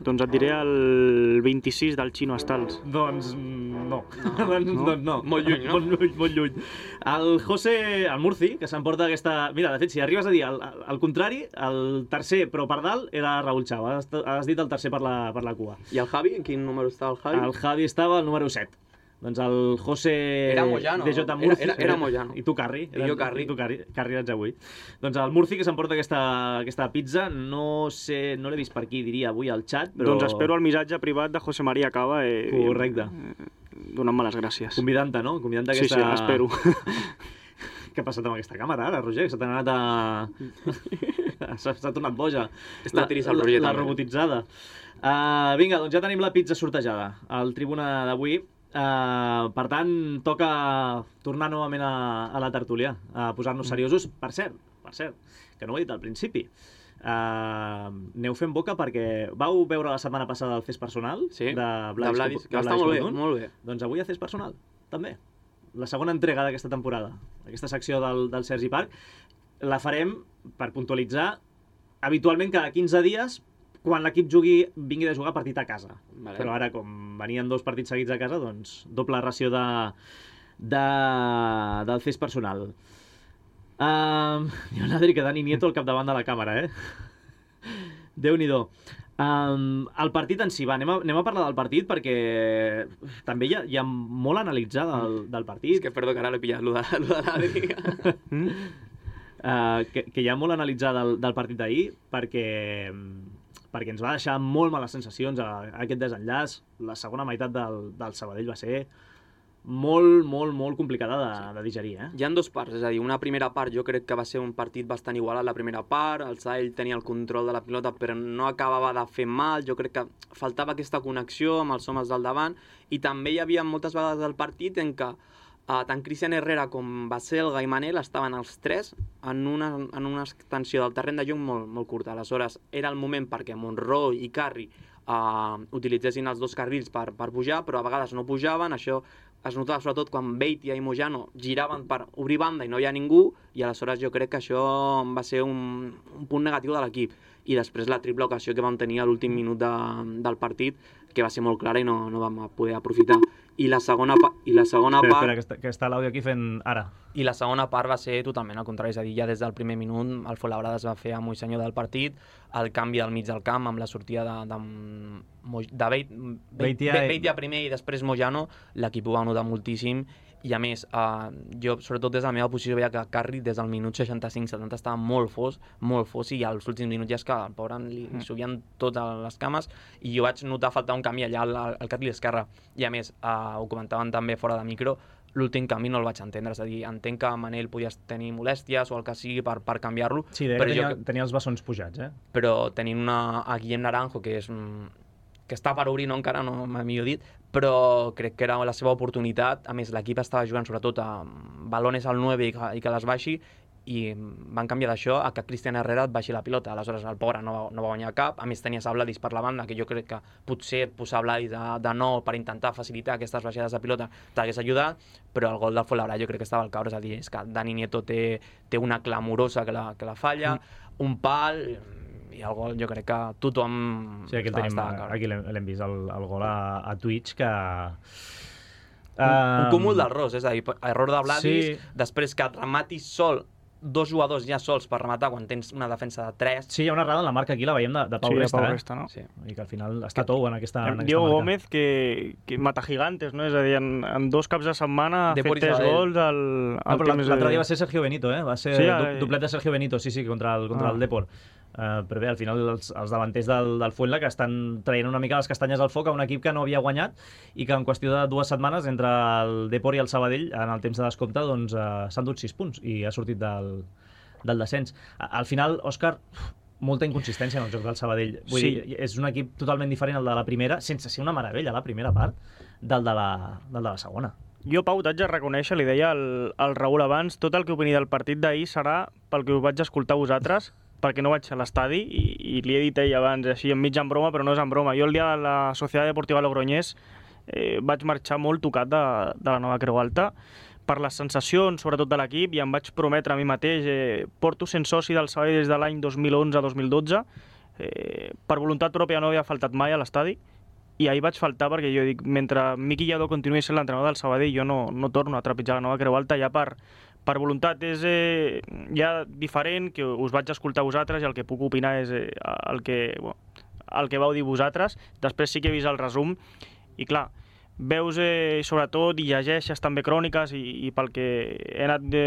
Doncs et diré el vint-i-sis del Xino Estals. Doncs no. doncs, no? doncs no. Molt lluny, no? Molt lluny, molt lluny. El José, el Murci, que s'emporta aquesta... Mira, de fet, si arribes a dir el, el contrari, el tercer, però per dalt, era Raúl Chao. Has, has dit el tercer per la, per la cua. I el Javi? En quin número està el Javi? El Javi estava al número set. Doncs el José... Era Moyano, D J no? Murci. Era- era- era Moyano. I tu, Carri. I jo, Carri. I tu, Carri. Carri ets avui. Doncs el Murci, que s'emporta aquesta, aquesta pizza, no sé, no l'he vist per aquí, diria, avui al xat, però... Doncs espero el missatge privat de José María Cava. Eh, Correcte. Donant-me les gràcies. Convidant-te, no? Convidant-te Sí, aquesta... sí, espero. Què ha passat amb aquesta càmera ara, Roger? Se t'ha anat a... S'ha s'ha tornat boja. Està trist el Roger, La, la també. robotitzada. Uh, vinga, doncs ja tenim la pizza sortejada al Tribuna d'avui. Uh, per tant, toca tornar novament a, a la tertúlia, a posar-nos seriosos. Per cert, per cert, que no ho he dit al principi. Uh, aneu fent boca perquè vau veure la setmana passada el Fes Personal Sí, de de Vladis, Vladis, que de va estar Vladis molt bé, Codun? molt bé. Doncs avui a Fes Personal, també. La segona entrega d'aquesta temporada, aquesta secció del, del Sergi Parc, la farem, per puntualitzar, habitualment cada quinze dies, quan l'equip jugui, vingui de jugar partit a casa. Vale. Però ara, com venien dos partits seguits a casa, doncs doble ració de, de, del Fes Personal. Uh, hi ha un Adri que Dani Nieto al capdavant de la càmera, eh? Déu-n'hi-do. Um, el partit en si, va, anem a, anem a parlar del partit perquè també hi ha, hi ha molt a analitzar del, del partit. És que perdó, que ara l'he pillat, lo de, lo de l'Adri. uh, que, que hi ha molt a analitzar del, del partit d'ahir perquè, perquè ens va deixar molt males sensacions a, a aquest desenllaç. La segona meitat del, del Sabadell va ser molt, molt, molt complicada de, de digerir, eh? Hi ha dues parts, és a dir, una primera part jo crec que va ser un partit bastant igualat la primera part, el Sabadell tenia el control de la pilota però no acabava de fer mal, jo crec que faltava aquesta connexió amb els homes del davant i també hi havia moltes vegades del partit en què uh, tant Cristian Herrera com Baselga i Manel estaven els tres en una, en una extensió del terreny de joc molt, molt curta, aleshores era el moment perquè Monroy i Carri uh, utilitzessin els dos carrils per, per pujar, però a vegades no pujaven, això es notava sobretot quan Beitia i Mojano giraven per obrir banda i no hi ha ningú, i aleshores jo crec que això va ser un, un punt negatiu de l'equip. I després la triple ocasió que vam tenir a l'últim minut de, del partit, que va ser molt clara i no, no vam poder aprofitar. I la segona, pa i la segona Espera, part... espera, que està, que està l'àudio aquí fent ara. I la segona part va ser totalment al contrari, és a dir, ja des del primer minut el Fuenlabrada es va fer amo i senyor del partit, el canvi al mig del camp amb la sortida de, de, de Beit, Beitia i- Beitia primer i després Mojano, l'equip ho va notar moltíssim i a més, eh, jo sobretot des de la meva posició veia que Carri des del minut seixanta-cinc setanta estava molt fos, molt fos i als últims minuts ja és que al pobre li, li subien totes les cames i jo vaig notar faltar un canvi allà al, al carril esquerre i a més, eh, ho comentaven també fora de micro, l'últim canvi no el vaig entendre, és a dir, entenc que Manel podies tenir molèsties o el que sigui per, per canviar-lo, Sí, deia però, que tenia, jo, tenia els bessons pujats, eh? però tenint una, a Guillem Naranjo, que és mm, que està per obrir, no encara, no m'ha millor dit, però crec que era la seva oportunitat. A més, l'equip estava jugant sobretot a balones al nueve i que, i que les baixi, i van canviar d'això a que Cristian Herrera et baixi la pilota. Aleshores el pobre no va, no va guanyar cap, a més tenies a Vladis per la banda, que jo crec que potser posar Vladis de, de nou per intentar facilitar aquestes baixades de pilota t'hagués ajudat, però el gol del Fuenlabrada jo crec que estava al caure, és a dir, és que Dani Nieto té, té una clamorosa que la, que la falla, mm. un pal, i el gol jo crec que tothom... Sí, aquí el estava- tenim, estava al caure. aquí l'hem l'hem vist, el, el gol a, a Twitch, que... Un, un cúmul d'errors, és a dir, error de Vladis, Sí. després que et rematis sol, dos jugadors ja sols per rematar quan tens una defensa de tres. Sí, hi ha una errada en la marca aquí, la veiem de, de Pau Sí, de Resta, Pau eh? Resta, no? Sí. I que al final està tou en aquesta, en aquesta Diego marca. Gómez, que, que mata gigantes, no? És a dir, en, en dos caps de setmana ha De fet Boris tres Abel. gols al, No, al però temps l'altre de- dia va ser Sergio Benito, eh? Va ser Sí, sí, ai. duplet de Sergio Benito, sí, sí, contra el, contra Ah. el Depor. Uh, però bé, al final els, els davanters del, del Fuenla que estan traient una mica les castanyes al foc a un equip que no havia guanyat i que en qüestió de dues setmanes entre el Depor i el Sabadell en el temps de descompte doncs, uh, s'han dut sis punts i ha sortit del, del descens. Al final, Òscar, molta inconsistència en el joc del Sabadell. Vull sí. dir, és un equip totalment diferent al de la primera, sense ser una meravella la primera part del de la, del de la segona. Jo, Pau, t'haig de reconèixer, li deia al, al Raül abans, tot el que opini del partit d'ahir serà pel que us vaig escoltar vosaltres, perquè no vaig a l'estadi, i, i li he dit ell abans, així enmig en broma, però no és en broma. Jo el dia de la Societat Deportiva Logroñés eh, vaig marxar molt tocat de, de la nova Creu Alta, per les sensacions, sobretot de l'equip, i em vaig prometre a mi mateix, eh, porto sent soci del Sabadell des de l'any dos mil onze dos mil dotze, eh, per voluntat pròpia no havia faltat mai a l'estadi, i ahir vaig faltar perquè jo dic, mentre Miqui Lladó continuï sent l'entrenador del Sabadell, jo no, no torno a trepitjar la nova Creu Alta ja per, per voluntat. És eh, ja diferent, que us vaig escoltar vosaltres i el que puc opinar és eh, el, que, bueno, el que vau dir vosaltres. Després sí que he vist el resum i clar, veus eh, sobretot i llegeixes també cròniques i, i pel que he anat de,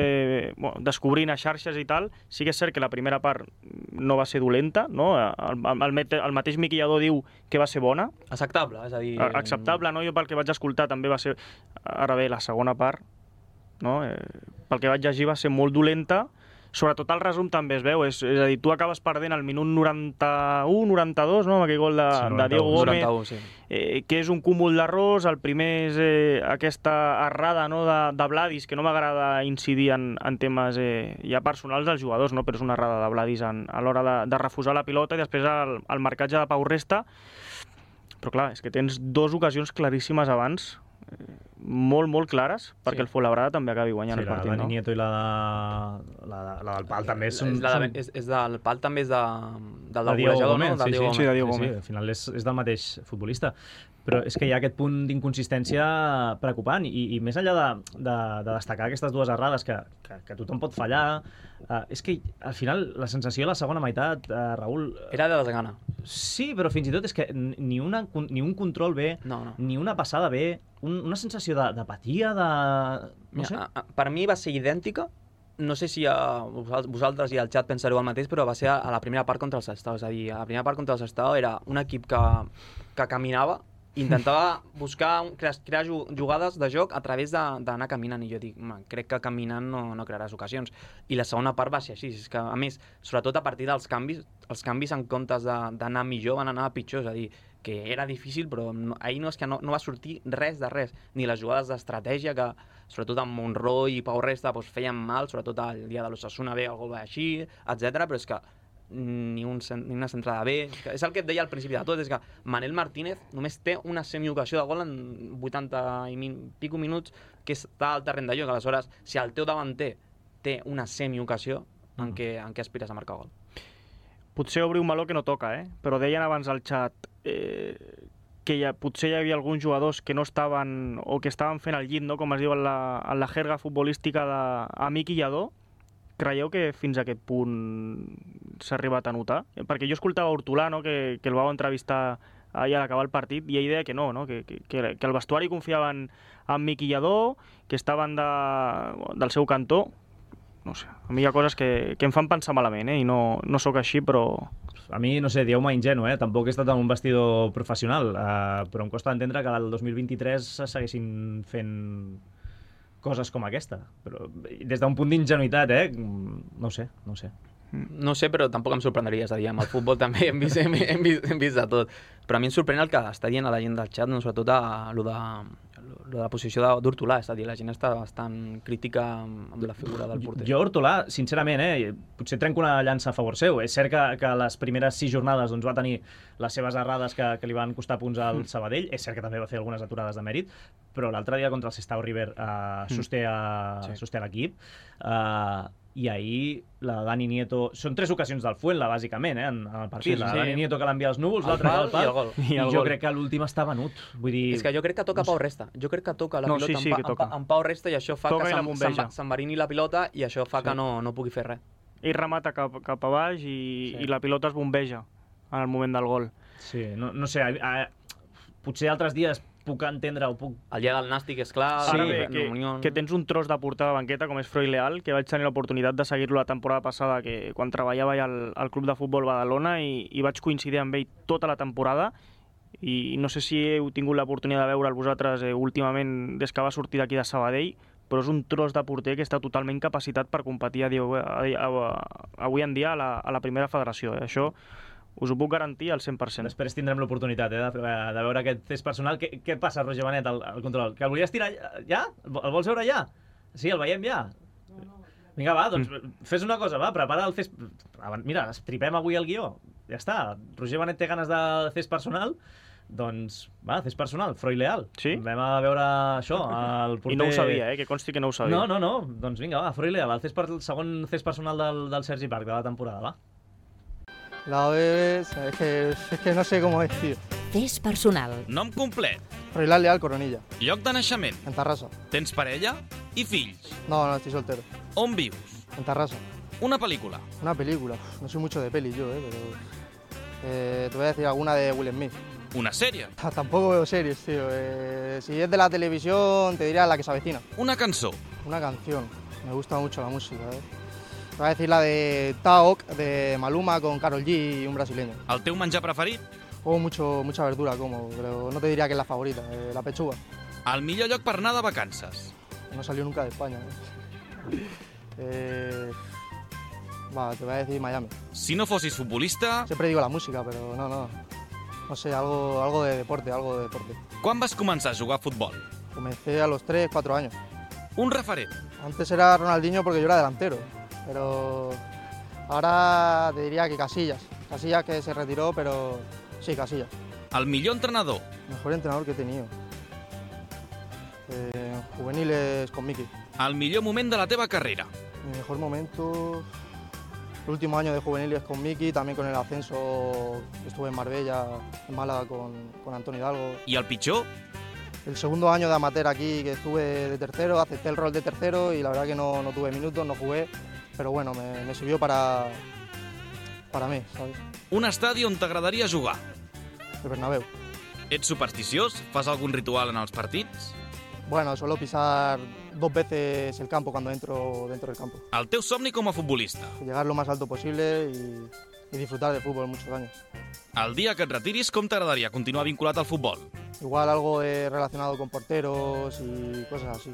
bueno, descobrint a xarxes i tal, sí que és cert que la primera part no va ser dolenta, no? El, el, el mateix Miqui Lladó diu que va ser bona. Acceptable, és a dir... Acceptable, no? Jo pel que vaig escoltar també va ser... Ara bé, la segona part, no? Eh, pel que vaig llegir va ser molt dolenta. Sobretot el resum també es veu, és, és a dir, tu acabes perdent al minut noranta-u noranta-dos, no? Amb aquell gol de, sí, noranta-u, de Diego Gómez, noranta-u, sí. eh, que és un cúmul d'errors. El primer és eh, aquesta errada, no? de, de Vladis, que no m'agrada incidir en, en temes eh, ja personals dels jugadors, no? Però és una errada de Vladis en, a l'hora de, de refusar la pilota, i després el, el marcatge de Pau Resta. Però clar, és que tens dues ocasions claríssimes abans, molt, molt clares, perquè sí. El Fuenlabrada també acabi guanyant sí, el partit, la, la no? Nieto i la, la, la, la del Pal també són... És, la de, és, és del Pal també és de, del del golejador, no? Del sí, Diego sí, sí, de Diego sí, sí, al final és, és del mateix futbolista. Però és que hi ha aquest punt d'inconsistència preocupant, i, i més enllà de, de, de destacar aquestes dues errades que, que, que tothom pot fallar, uh, és que al final la sensació de la segona meitat, uh, Raül... Era de desgana. Sí, però fins i tot és que ni, una, ni un control bé, no, no. ni una passada bé, un, una sensació d'apatia, de... no Mira, sé. a, a, per mi va ser idèntica. No sé si a vosaltres i al xat pensareu el mateix, però va ser a, a la primera part contra el Sestao. És a dir, a la primera part contra el Sestao era un equip que, que caminava, intentava buscar, crear, crear jugades de joc a través d'anar caminant, i jo dic, crec que caminant no, no crearàs ocasions. I la segona part va ser així, és que a més, sobretot a partir dels canvis, els canvis en comptes d'anar millor van anar a pitjor, és a dir, que era difícil, però no, ahir no és que no, no va sortir res de res, ni les jugades d'estratègia que, sobretot amb Monroy i Pau Resta, doncs, feien mal, sobretot el dia de l'Osasuna bé, el gol va així, etcètera, però és que ni, un, ni una centrada bé. És el que et deia al principi de tot, és que Manel Martínez només té una semiocasió de gol en vuitanta i min, pico minuts que està al terreny de joc. Aleshores, si el teu davanter té una semiocasió, en què, en què aspires a marcar gol? Potser obrir un meló que no toca, eh? Però deien abans al xat eh, que ja, potser hi havia alguns jugadors que no estaven, o que estaven fent el llit, no? Com es diu en la, en la jerga futbolística de Miqui Lladó. Creieu que fins a aquest punt s'ha arribat a notar? Perquè jo escoltava Hortolà, no? que, que el vau entrevistar ahir a l'acabar el partit, i ell deia que no, no? Que, que, que el vestuari confiaven en Miqui Lladó, que estaven de, del seu cantó. No sé, a mi hi ha coses que, que em fan pensar malament, eh? I no, no sóc així, però... A mi, no sé, dieu-me ingenu, eh? Tampoc he estat en un vestidor professional, eh? Però em costa entendre que el dos mil vint-i-tres segueixin fent coses com aquesta. Però des d'un punt d'ingenuïtat, eh? No sé, no sé. No sé, però tampoc em sorprendria, és a dir, amb el futbol també hem vist, hem, hem, vist, hem vist de tot. Però a mi em sorprèn el que està dient a la gent del xat, no? Sobretot a, a lo de, lo de la posició d'Hortolà, és a dir, la gent està bastant crítica amb, amb la figura del porter. Jo, Hortolà, sincerament, eh, potser trenco una llança a favor seu. És cert que, que les primeres sis jornades doncs, va tenir les seves errades que, que li van costar punts al Sabadell. És cert que també va fer algunes aturades de mèrit, però l'altre dia contra el Sestao River eh, sosté, a, sí. sosté l'equip. Eh, I ahir la Dani Nieto... Són tres ocasions del Fuenla, bàsicament, eh, en, en el partit. Sí, sí, la Dani sí. Nieto que l'envia als núvols, l'altre al pal, i, el gol. I, el I jo gol. crec que l'últim està venut. Vull dir... És que jo crec que toca no Pau Resta. Jo crec que toca la no, pilota sí, sí, amb, pa, amb, amb Pau Resta, i això fa toca que s'enverini la pilota, i això fa sí. que no, no pugui fer res. Ell remata cap, cap a baix i, sí. i la pilota es bombeja en el moment del gol. Sí, no, no sé, a, a, potser altres dies puc entendre o puc... El dia del Nàstic, és clar. Sí, Ara bé, que, Unió... que tens un tros de portar a la banqueta com és Freud Leal, que vaig tenir l'oportunitat de seguir-lo la temporada passada, que quan treballava ja al, al Club de Futbol Badalona, i, i vaig coincidir amb ell tota la temporada, i no sé si heu tingut l'oportunitat de veure'l vosaltres eh, últimament des que va sortir d'aquí de Sabadell, però és un tros de porter que està totalment capacitat per competir a dia, a, a, a, avui en dia a la, a la primera federació. Eh? Això us ho puc garantir al cent per cent. Després tindrem l'oportunitat eh, de, de veure aquest test personal. Què, què passa, Roger Benet, al, al control? Que el volies tirar ja? El vols veure ja? Sí, el veiem ja? Vinga, va, doncs fes una cosa, va, prepara el test... Mira, estripem avui el guió. Ja està. Roger Benet té ganes de test personal. Doncs, va, test personal, Freud Leal. Sí? Vam a veure això, el porter... I no ho sabia, eh? Que consti que no ho sabia. No, no, no. Doncs vinga, va, Freud Leal, el, test per... el segon test personal del, del Sergi Parc de la temporada, va. La O E es que, es que no sé cómo es, tío. Test personal. Nom complet. Froilán Leal Coronilla, Lloc de naixement. en Tarrasa. Tens parella i fills. No, no, estoy soltero. On vius? En Tarrasa. Una pel·lícula. Una película. Uf, no soy mucho de peli yo, eh, pero... Eh, te voy a decir alguna de Will Smith. Una sèrie. Ah, tampoco veo series, tío. Eh, si es de la televisión, te diría La que se avecina. Una cançó. Una canción. Me gusta mucho la música, eh. Te voy a decir la de Taok, de Maluma, con Karol G y un brasileño. El teu menjar preferit? Como mucho, mucha verdura, como, pero no te diría que es la favorita, eh, la pechuga. El millor lloc per anar de vacances. No salió nunca de España. Eh. Eh, va, te voy a decir Miami. Si no fossis futbolista, Siempre digo la música, pero no, no. No sé, algo, algo de deporte, algo de deporte. quan vas començar a jugar a futbol? Comencé a los tres, cuatro años. Un referent. Antes era Ronaldinho porque yo era delantero, pero ahora te diría que Casillas. Casillas que se retiró, pero sí, Casillas. El millor entrenador. Mejor entrenador que he tenido. Eh, juveniles con Miki. El millor moment de la teva carrera. Mi mejor momento... El último año de juveniles con Miki, también con el ascenso, estuve en Marbella, en Málaga con, con Antonio Hidalgo. I el pitjor? El segundo año de amateur aquí, que estuve de tercero, acepté el rol de tercero y la verdad que no, no tuve minutos, no jugué, pero bueno, me, me sirvió para, para mí, ¿sabes? Un estadi on t'agradaria jugar. El Bernabéu. Ets supersticiós? Fas algun ritual en els partits? Bueno, suelo pisar dos veces el campo cuando entro dentro del campo. El teu somni com a futbolista. Llegar lo más alto posible y, y disfrutar del fútbol muchos años. El dia que et retiris, com t'agradaria continuar vinculat al futbol? Igual algo eh, relacionado con porteros y cosas así.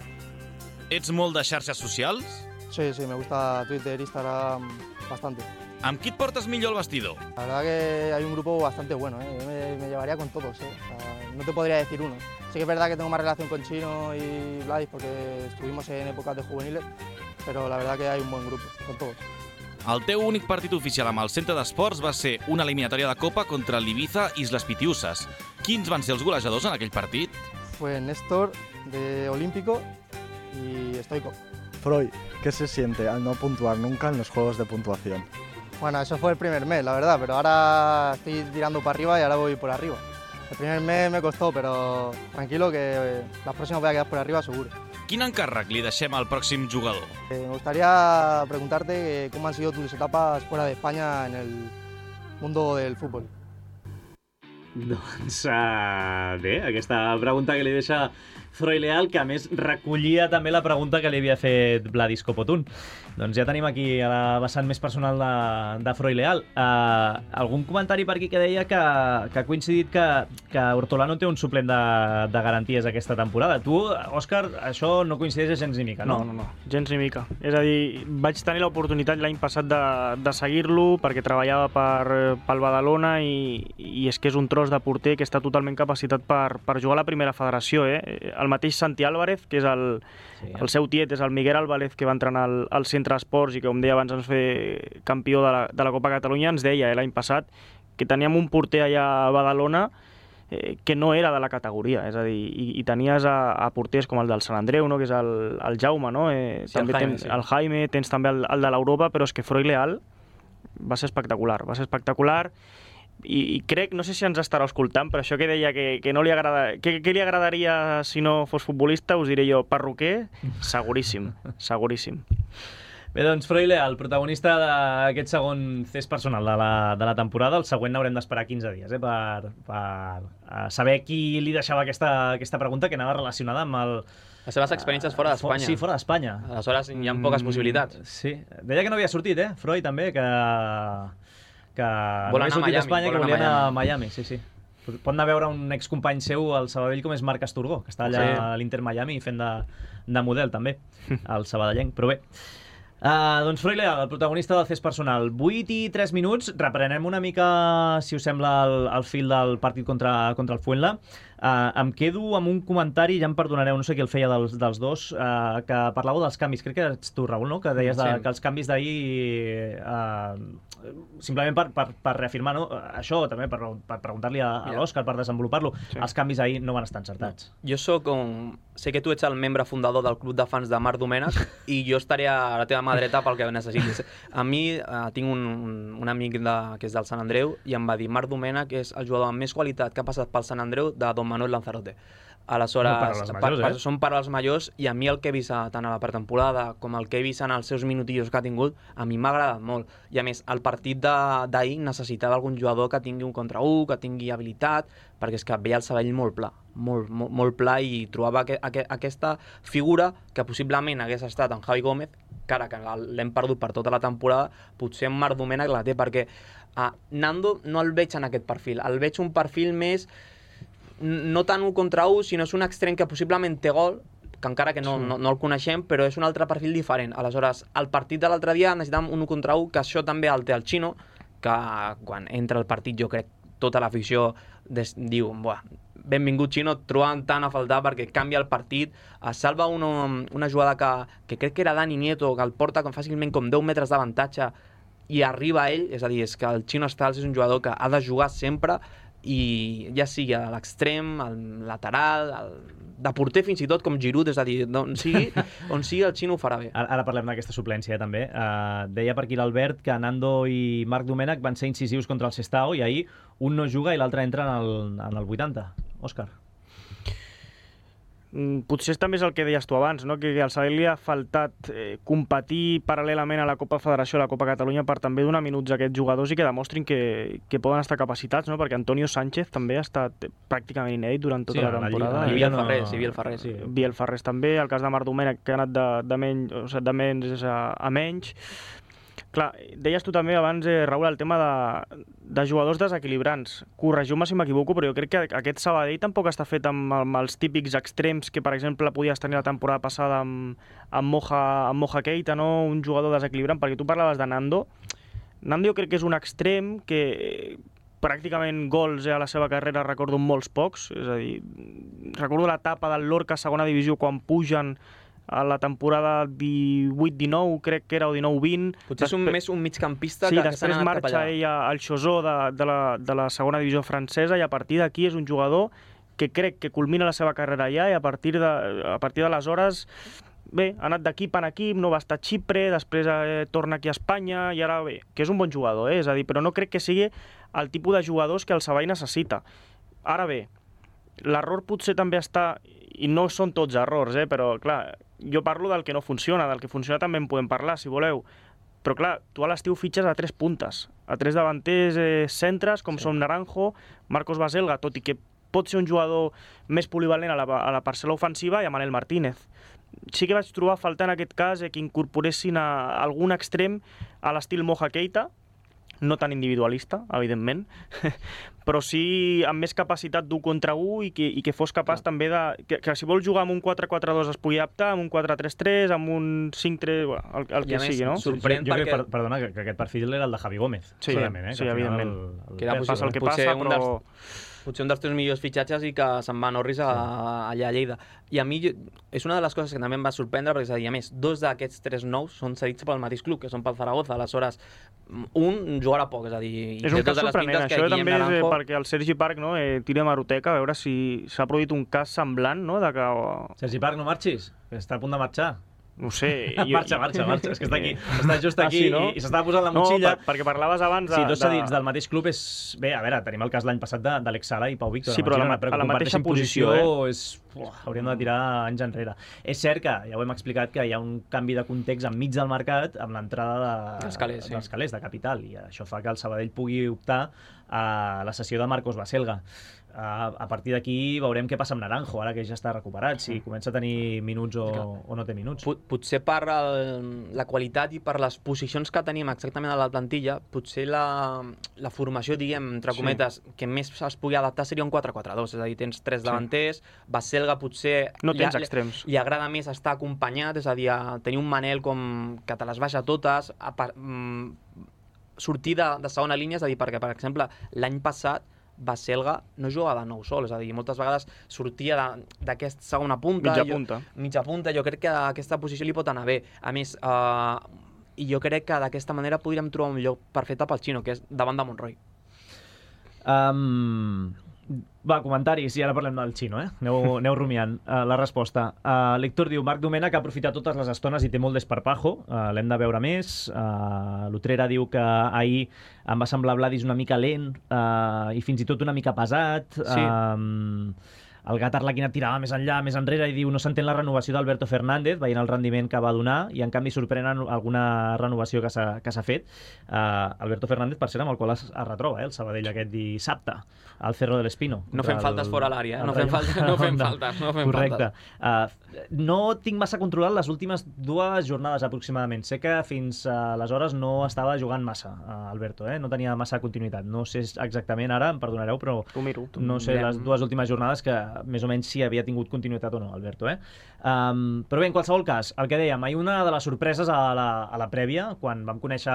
Ets molt de xarxes socials? Sí, sí, me gusta Twitter, Instagram, bastante. Amb qui et portes millor al vestidor? La verdad que hay un grupo bastante bueno, ¿eh? Yo me, me llevaría con todos, ¿eh? O sea, no te podría decir uno. Sí que es verdad que tengo más relación con Chino y Vladis porque estuvimos en épocas de juveniles, pero la verdad que hay un buen grupo, con todos. El teu únic partit oficial amb el centre d'esports va ser una eliminatòria de Copa contra l'Ibiza Islas Pitiusas. Quins van ser els golejadors en aquell partit? Fue Néstor, de Olímpico, y Stoico. Freud, ¿qué se siente al no puntuar nunca en los juegos de puntuación? Bueno, eso fue el primer mes, la verdad, pero ahora estoy tirando para arriba y ahora voy por arriba. El primer mes me costó, pero tranquilo que las próximas voy a quedar por arriba seguro. Quin encàrrec li deixem al pròxim jugador? Eh, me gustaría preguntarte cómo han sido tus etapas fuera de España en el mundo del fútbol. Doncs uh, bé, aquesta pregunta que li deixa Freud Leal, que a més recollia també la pregunta que li havia fet Vladis Copotun. Doncs ja tenim aquí a la vessant més personal de, de Freud Leal. Uh, algun comentari per aquí que deia que, que ha coincidit que, que Hortolano té un suplent de, de garanties aquesta temporada. Tu, Òscar, això no coincideix gens ni mica, no? No, no, no, gens ni mica. És a dir, vaig tenir l'oportunitat l'any passat de, de seguir-lo perquè treballava per, pel Badalona i, i és que és un tros de porter que està totalment capacitat per, per jugar a la primera federació. Eh? El mateix Santi Álvarez, que és el, sí, el seu tiet, és el Miguel Álvarez, que va entrenar al, al Centre Esports i que, com deia abans, ens fer campió de la, de la Copa Catalunya, ens deia eh, l'any passat que teníem un porter allà a Badalona eh, que no era de la categoria, és a dir, i, i tenies a, a porters com el del Sant Andreu, no? Que és el, el Jaume, no? Eh, sí, també el Jaime, tens sí. el Jaime, tens també el, el de l'Europa, però és que Freud Leal va ser espectacular, va ser espectacular. I, i crec, no sé si ens estarà escoltant, però això que deia que, que no li agrada, que, que li agradaria si no fos futbolista, us diré jo, perruquer, seguríssim, seguríssim. Bé, doncs, Froile, el protagonista d'aquest segon test personal de la, de la temporada, el següent haurem d'esperar quinze dies, eh, per, per saber qui li deixava aquesta, aquesta pregunta que anava relacionada amb el... Les seves experiències fora d'Espanya. Sí, fora d'Espanya. Aleshores hi ha poques possibilitats. Sí, deia que no havia sortit, eh, Freud, també, que, que no Vol havia anar a sortit Miami, d'Espanya, vol que anar volia a anar a Miami, sí, sí. Pot anar a veure un excompany seu al Sabadell com és Marc Asturgó, que està allà Sí. a l'Inter Miami fent de, de model, també, al sabadellenc, però bé. Uh, doncs Froile, el protagonista del test personal. vuit i tres minuts, reprenem una mica, si us sembla, el, el fil del partit contra, contra el Fuenla. Uh, em quedo amb un comentari, ja em perdonareu, no sé qui el feia dels, dels dos, uh, que parlàveu dels canvis, crec que ets tu, Raül, no? Que deies de, Sí. que els canvis d'ahir, uh, simplement per, per, per reafirmar, no? Això també, per, per preguntar-li a, a Mira. l'Òscar, per desenvolupar-lo, Sí. els canvis ahir no van estar encertats. Jo sóc com... Sé que tu ets el membre fundador del club de fans de Marc Domènech i jo estaré a la teva mà dreta pel que necessitis. A mi eh, tinc un, un, un amic de, que és del Sant Andreu i em va dir Marc Domènech és el jugador amb més qualitat que ha passat pel Sant Andreu de Don Manuel Lanzarote. Aleshores, No, paraules majors, per, eh? per, són paraules majors i a mi el que he vist a, tant a la pretemporada com el que he vist en els seus minutillos que ha tingut, a mi m'ha agradat molt. I a més, el partit de- d'ahir necessitava algun jugador que tingui un contra un, que tingui habilitat, perquè és que veia el Sabadell molt pla, molt, molt, molt pla i trobava que, aqu aquesta figura que possiblement hagués estat en Javi Gómez, que ara que l'hem perdut per tota la temporada, potser en Marc Domènech la té, perquè a Nando no el veig en aquest perfil, el veig un perfil més no tant un contra un, sinó és un extrem que possiblement té gol, que encara que no, Sí. no, no el coneixem, però és un altre perfil diferent. Aleshores, el partit de l'altre dia necessitàvem un un contra un, que això també el té el Xino, que quan entra al partit jo crec tota l'afició des, diu, buah, benvingut Xino, et trobàvem tant a faltar perquè canvia el partit, es salva una, una jugada que, que crec que era Dani Nieto, que el porta com fàcilment com deu metres d'avantatge i arriba ell, és a dir, és que el Xino Stals és un jugador que ha de jugar sempre i ja sigui a l'extrem, al lateral, al... de porter fins i tot com Giroud, és a dir, on sigui, on sigui el Xino ho farà bé. Ara, ara parlem d'aquesta suplència, eh, també. Uh, deia per aquí l'Albert que Nando i Marc Domènech van ser incisius contra el Sestao i ahir un no juga i l'altre entra en el, en el vuitanta. Òscar. Mm, Potser també és el que deies tu abans, no? que al Sabadell li ha faltat eh, competir paral·lelament a la Copa Federació i a la Copa Catalunya per també donar minuts a aquests jugadors i que demostrin que, que poden estar capacitats, no? Perquè Antonio Sánchez també ha estat pràcticament inèdit durant tota Sí, la a la temporada. Lliga- a la I Lliga Biel no- Ferrer, sí, Biel Ferrer. Sí. Biel Ferrés també, el cas de Marc Domènech que ha anat de, de, menys, o sigui, de menys a, a menys. Clar, deies tu també abans, eh, Raül, el tema de, de jugadors desequilibrants. Corregiu-me si m'equivoco, però jo crec que aquest Sabadell tampoc està fet amb, amb els típics extrems que, per exemple, podies tenir la temporada passada amb, amb, Moja, amb Moja Keita, no? Un jugador desequilibrant, perquè tu parlaves de Nando. Nando jo crec que és un extrem que pràcticament gols eh, a la seva carrera recordo molts pocs, és a dir, recordo l'etapa del Lorca a segona divisió quan pugen a la temporada divuit dinou, crec que era, o dinou vint. Potser és un, més un migcampista Sí, que, que s'ha després anat cap marxa allà. ell al Chosó de, de, la, de la segona divisió francesa i a partir d'aquí és un jugador que crec que culmina la seva carrera allà i a partir de, a partir d'aleshores bé, ha anat d'equip en equip, no va estar a Xipre, després eh, torna aquí a Espanya i ara bé, que és un bon jugador, eh? És a dir, però no crec que sigui el tipus de jugadors que el Sabadell necessita. Ara bé, l'error potser també està, i no són tots errors, eh? Però clar, jo parlo del que no funciona, del que funciona també en podem parlar, si voleu. Però clar, tu a l'estiu fitxes a tres puntes, a tres davanters eh, centres, com sí. són Naranjo, Marcos Baselga, tot i que pot ser un jugador més polivalent a la, a la parcel·la ofensiva, i a Manel Martínez. Sí que vaig trobar a faltar en aquest cas eh, que incorporessin a algun extrem a l'estil Moja Keita, no tan individualista, evidentment, però sí amb més capacitat d'un contra un i que, i que fos capaç Clar. també de... Que, que si vol jugar amb un quatre quatre dos es pugui adaptar, amb un quatre tres tres, amb un cinc tres... Bueno, el, el que més, sigui, no? sorprèn jo, jo perquè... crec, per, perdona, que, que aquest perfil era el de Javi Gómez. Sí, segurament, eh? sí, que al final evidentment. El, el Que era passa el que potser passa, un però... dels, potser un dels teus millors fitxatges i que se'n va a Norris a, a, allà a Lleida. I a mi jo, és una de les coses que també em va sorprendre, perquè és a dir, a més, dos d'aquests tres nous són cedits pel mateix club, que són pel Zaragoza. Aleshores, un jugarà poc, és a dir... És un cas sorprenent, això també és eh, Naranjo... perquè el Sergi Parc no, eh, tira hemeroteca a veure si s'ha produït un cas semblant, no? De que... Sergi Parc, no marxis, que està a punt de marxar. No ho sé. Jo... Marxa, marxa, marxa. És que està aquí. Està just aquí ah, sí, no? i, i s'estava posant la motxilla. No, per, perquè parlaves abans de... Sí, dos cedits de... del mateix club és... Bé, a veure, tenim el cas l'any passat d'Àlex Sala i Pau Víctor. Sí, però a la, a la mateixa posició, posició eh? és... Uah, hauríem de tirar anys enrere. És cert que, ja ho hem explicat, que hi ha un canvi de context enmig del mercat amb l'entrada de... dels calés, sí. dels calés de capital, i això fa que el Sabadell pugui optar a la cessió de Marcos Baselga. Uh, a partir d'aquí veurem què passa amb Naranjo, ara que ja està recuperat, si comença a tenir minuts o, o no té minuts. Pot, potser per el, la qualitat i per les posicions que tenim exactament a la plantilla, potser la, la formació, diguem, entre cometes, sí. que més es pugui adaptar seria un quatre quatre dos, és a dir, tens tres davanters, sí. Baselga potser... No tens li, extrems. Li agrada més estar acompanyat, és a dir, a tenir un Manel com que te les baixa totes, a, a, mm, sortir de, de segona línia, és a dir, perquè, per exemple, l'any passat Baselga no jugava de nou sol, és a dir, moltes vegades sortia d'aquesta segona punta. Mitja punta. Jo, mitja punta, jo crec que aquesta posició li pot anar bé. A més, eh, i jo crec que d'aquesta manera podríem trobar un lloc perfecte pel Xino, que és davant de Montroi. Um, va, comentaris, i ara parlem del Xino, eh? Aneu, aneu rumiant uh, la resposta. Uh, L'Héctor diu, Marc Domènech ha aprofitat totes les estones i té molt d'esparpajo, uh, l'hem de veure més. Uh, L'Utrera diu que ahir em va semblar Vladis una mica lent uh, i fins i tot una mica pesat. Sí. Um, el Gat Arlequina tirava més enllà, més enrere, i diu no s'entén la renovació d'Alberto Fernández, veient el rendiment que va donar, i en canvi sorprenen alguna renovació que s'ha fet. Uh, Alberto Fernández, per cert, amb el qual es, es retroba, eh, el Sabadell aquest dissabte, al Cerro del Espino. No fem el, faltes fora l'àrea, eh? no, fem falta, no fem faltes. No fem Correcte. Uh, no tinc massa controlat les últimes dues jornades aproximadament. Sé que fins uh, aleshores no estava jugant massa, uh, Alberto, eh? no tenia massa continuïtat. No sé exactament ara, em perdonareu, però no sé les dues últimes jornades que més o menys si havia tingut continuïtat o no, Alberto. Eh? Um, però bé, en qualsevol cas, el que dèiem, ahir una de les sorpreses a la, a la prèvia, quan vam conèixer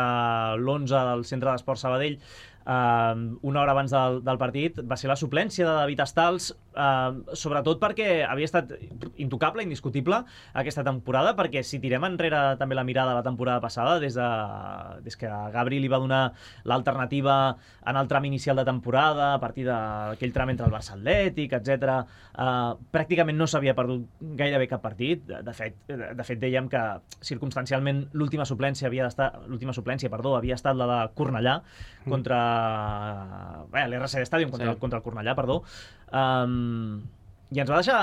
l'onze del Centre d'Esport Sabadell, Uh, una hora abans del, del partit, va ser la suplència de David Estals, uh, sobretot perquè havia estat intocable, indiscutible aquesta temporada, perquè si tirem enrere també la mirada de la temporada passada, des, de, des que Gabri li va donar l'alternativa en el tram inicial de temporada, a partir d'aquell tram entre el Barça Atlètic, etcètera, uh, pràcticament no s'havia perdut gairebé cap partit. De fet, de fet dèiem que circumstancialment l'última suplència havia d'estar, l'última suplència, perdó, havia estat la de Cornellà contra Bé, l'R C D Stadium contra, sí. contra el Cornellà, perdó. Um, I ens va deixar,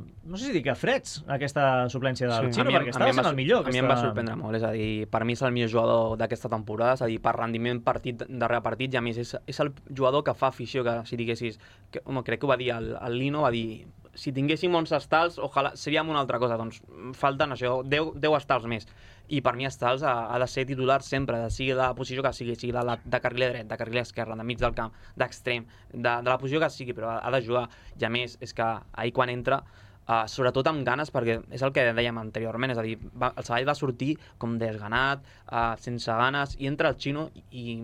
no sé si dir que freds, aquesta suplència del sí. Xino, perquè estava sent el millor. A mi em va sorprendre molt, és a dir, per mi és el millor jugador d'aquesta temporada, és a dir, per rendiment partit darrere partit, i a més és, és el jugador que fa afició, que si diguessis, que, home, crec que ho va dir el, el Lino, va dir, si tinguéssim onze estals, ojalà, seríem una altra cosa, doncs falten això, deu estals més. I per mi Estals ha, ha de ser titular sempre, de sigui la posició que sigui, sigui de, de carriler dret, de carriler esquerre, de mig del camp, d'extrem, de, de la posició que sigui, però ha, ha de jugar. I a més, és que ahir quan entra, uh, sobretot amb ganes, perquè és el que dèiem anteriorment, és a dir, va, el Sabadell va sortir com desganat, uh, sense ganes, i entra el Xino i, i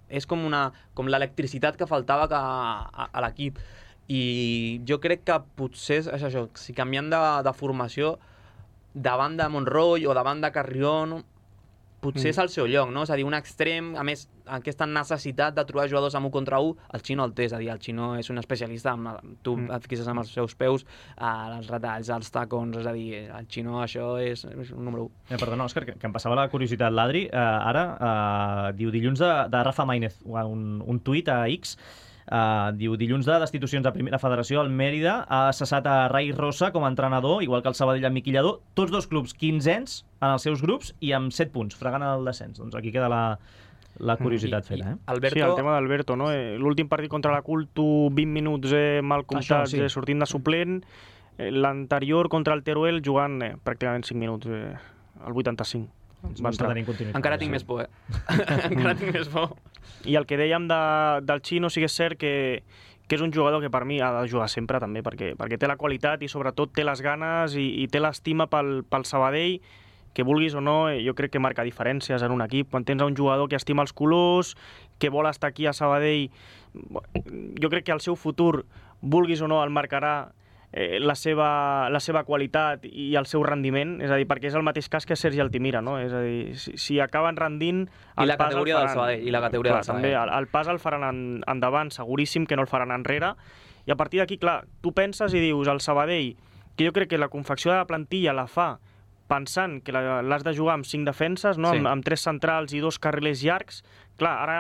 és com, una, com l'electricitat que faltava que, a, a l'equip. I jo crec que potser és això, si canviant de, de formació, davant de Montroi o davant de Carrión, potser mm. és el seu lloc, no? És a dir, un extrem, a més, aquesta necessitat de trobar jugadors amb un contra un, el Xino el té, és a dir, el Xino és un especialista, amb, tu mm. et fixes amb els seus peus, eh, els retalls, els tacons, és a dir, el Xino això és, és un número un. Eh, perdona, Òscar, que, que em passava la curiositat, l'Adri, eh, ara eh, diu dilluns de, de Rafa Maínez, un, un tuit a X. Uh, diu, dilluns de destitucions a Primera Federació, el Mèrida ha cessat a Rai Rosa com a entrenador, igual que el Sabadell amb Miquel Lladó, tots dos clubs quinzens en els seus grups i amb set punts, fregant el descens. Doncs aquí queda la, la curiositat feta. Eh? Alberto... Sí, el tema d'Alberto, no? Eh, l'últim partit contra la Culto, vint minuts eh, mal comptats, sí. eh, sortint de suplent, eh, l'anterior contra el Teruel jugant eh, pràcticament cinc minuts, eh, al vuitanta-cinc. Encara tinc més por, eh? Encara tinc més por. I el que dèiem de, del Xino sí que és cert que, que és un jugador que per mi ha de jugar sempre també, perquè, perquè té la qualitat i sobretot té les ganes i, i té l'estima pel, pel Sabadell, que vulguis o no, jo crec que marca diferències en un equip. Quan tens un jugador que estima els colors, que vol estar aquí a Sabadell, jo crec que el seu futur, vulguis o no, el marcarà Eh, la, seva, la seva qualitat i el seu rendiment, és a dir, perquè és el mateix cas que Sergi Altimira, no? És a dir, si, si acaben rendint... I la categoria del Sabadell. I la categoria clar, del Sabadell. També, el, el pas el faran en, endavant, seguríssim que no el faran enrere, i a partir d'aquí, clar, tu penses i dius, el Sabadell, que jo crec que la confecció de la plantilla la fa pensant que l'has de jugar amb cinc defenses, no? Sí. amb, amb tres centrals i dos carrilers llargs, clar, ara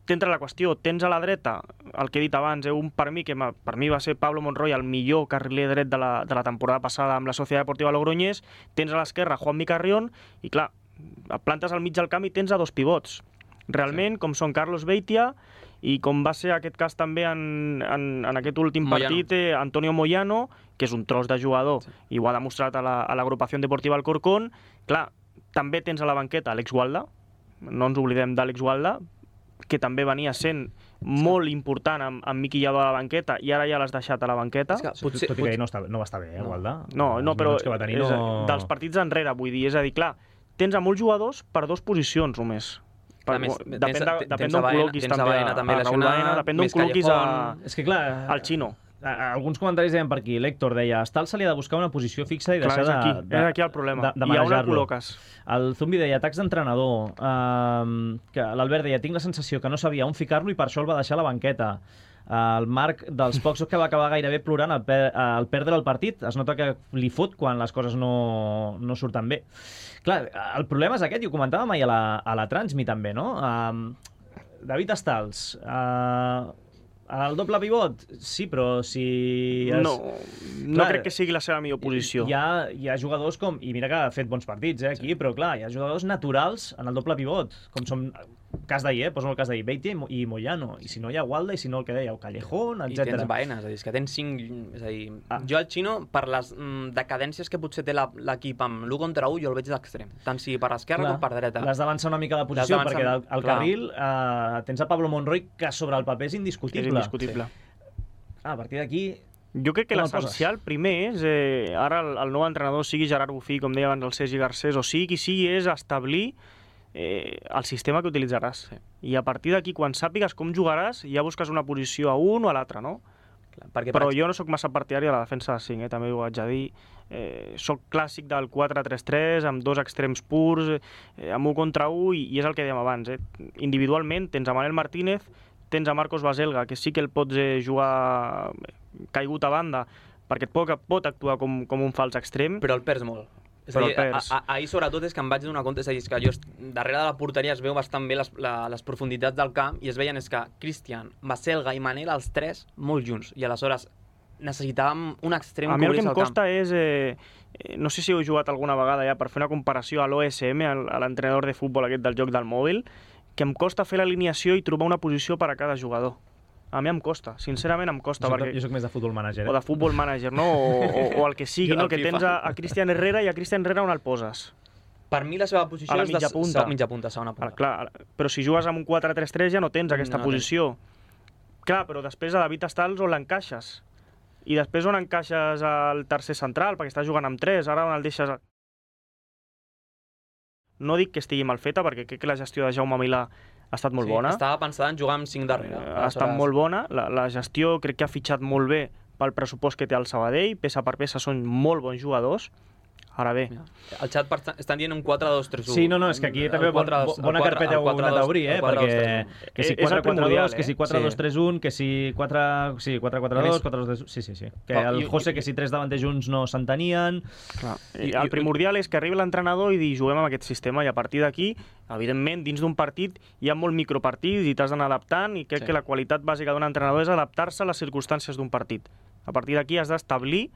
t'entra la qüestió, tens a la dreta, el que he dit abans, eh, un per mi, que per mi va ser Pablo Monroy, el millor carriler dret de la, de la temporada passada amb la Societat Deportiva Logroñés, tens a l'esquerra Juanmi Carrión, i clar, plantes al mig del camp i tens a dos pivots. Realment, sí. com són Carlos Beitia, i com va ser aquest cas també en, en, en aquest últim Moyano. partit, eh, Antonio Moyano, que és un tros de jugador, sí. i ho ha demostrat a l'agrupació la, deportiva Alcorcón. Clar, també tens a la banqueta Àlex Gualda, no ens oblidem d'Àlex Gualda, que també venia sent molt important amb, amb Miqui Lladó a la banqueta, i ara ja l'has deixat a la banqueta. És que, potser, tot i que ell no, està, no va estar bé, eh, Gualda? No, no, però que va tenir, és, no... dels partits enrere, vull dir, és a dir, clar, tens a molts jugadors per dues posicions només. Per, més, depèn tens, de, depèn d'on col·loquis també, Baena, també a Raúl Baena, depèn d'on col·loquis a, és que, clar, al Xino. Alguns comentaris deien per aquí, l'Héctor deia, Estal se li ha de buscar una posició fixa i clar, deixar és aquí, de, de, és aquí el problema. de, de I a on el manejar-lo. col·loques? El Zumbi deia, atacs d'entrenador, uh, que l'Albert deia, tinc la sensació que no sabia on ficar-lo i per això el va deixar a la banqueta. El Marc, dels pocs que va acabar gairebé plorant al, per, al perdre el partit, es nota que li fot quan les coses no, no surten bé. Clar, el problema és aquest, i ho comentàvem ahir a la, a la Transmi també, no? Uh, David Estals, uh, el doble pivot, sí, però si... Es... No, no clar, crec que sigui la seva millor posició. Hi ha, hi ha jugadors com... I mira que ha fet bons partits eh, aquí, sí. però clar, hi ha jugadors naturals en el doble pivot, com som... Cas d'ahir, eh? Poso el cas d'ahir, Beitia i Moyano, i si no hi ha Gualda, i si no el que deia, Callejón, etcètera. I tens Baena, és a dir, és que tens cinc... És a dir, ah. jo al Xino, per les mm, decadències que potser té l'equip amb l'u contra u, jo el veig d'extrem, tant si per esquerra com per dreta. L'has d'avançar una mica de posició, perquè al, al carril eh, tens a Pablo Monroy, que sobre el paper és indiscutible. És indiscutible. Sí. Ah, a partir d'aquí... Jo crec que l'essencial primer és, eh, ara el, el nou entrenador, sigui Gerard Bufí, com deia abans el Sergi Garcés, o sigui qui sigui, és establir Eh, el sistema que utilitzaràs. Sí. I a partir d'aquí, quan sàpigues com jugaràs, ja busques una posició a un o a l'altre, no? Clar, perquè però per... jo no sóc massa partidari a la defensa de cinc, eh? També ho haig de dir. Eh, soc clàssic del quatre tres tres, amb dos extrems purs, eh, amb un contra un, i, i és el que dèiem abans. Eh? Individualment tens a Manel Martínez, tens a Marcos Baselga, que sí que el pots eh, jugar caigut a banda, perquè et pot, pot actuar com, com un fals extrem. Però el perds molt. És a dir, ahir sobretot és que em vaig donar compte, és a dir, que jo darrere de la porteria es veu bastant bé les, la, les profunditats del camp, i es veien és que Cristian, Baselga i Manel, els tres, molt junts, i aleshores necessitàvem un extrem que obrís el camp. A mi el que em costa és, eh, no sé si heu jugat alguna vegada ja per fer una comparació a l'O S M, a l'entrenador de futbol aquest del joc del mòbil, que em costa fer l'alineació i trobar una posició per a cada jugador. A mi em costa, sincerament em costa. Jo soc, perquè... jo soc més de futbol manager. Eh? O de futbol manager, no? O, o, o el que sigui, no? Que tens a, a Cristian Herrera, i a Cristian Herrera on el poses? Per mi la seva posició és mitja de punta. mitja punta, segona punta. Ara, clar, però si jugues amb un quatre tres tres ja no tens aquesta no, posició. Tens. Clar, però després a David Estals on l'encaixes? I després on encaixes al tercer central, perquè estàs jugant amb tres, ara on el deixes... No dic que estigui mal feta, perquè crec que la gestió de Jaume Milà ha estat molt sí, bona. Estava pensada en jugar amb cinc darrere. Ha estat molt bona. La, la gestió crec que ha fitxat molt bé pel pressupost que té el Sabadell. Peça per peça són molt bons jugadors. Ara bé. Mira, el xat estan dient un quatre dos tres u. Sí, no, no, és que aquí també bon, bona carpeta heu anat a obrir, eh? Perquè que si quatre quatre dos, que si quatre dos tres un, que si quatre quatre dos, quatre dos tres un... Sí, sí, sí. Que el José, que si tres davanters junts no s'entenien... El primordial és que arribi l'entrenador i dir juguem amb aquest sistema, i a partir d'aquí, evidentment, dins d'un partit hi ha molt micropartits i t'has d'anar adaptant, i crec que la qualitat bàsica d'un entrenador és adaptar-se a les circumstàncies d'un partit. A partir d'aquí has d'establir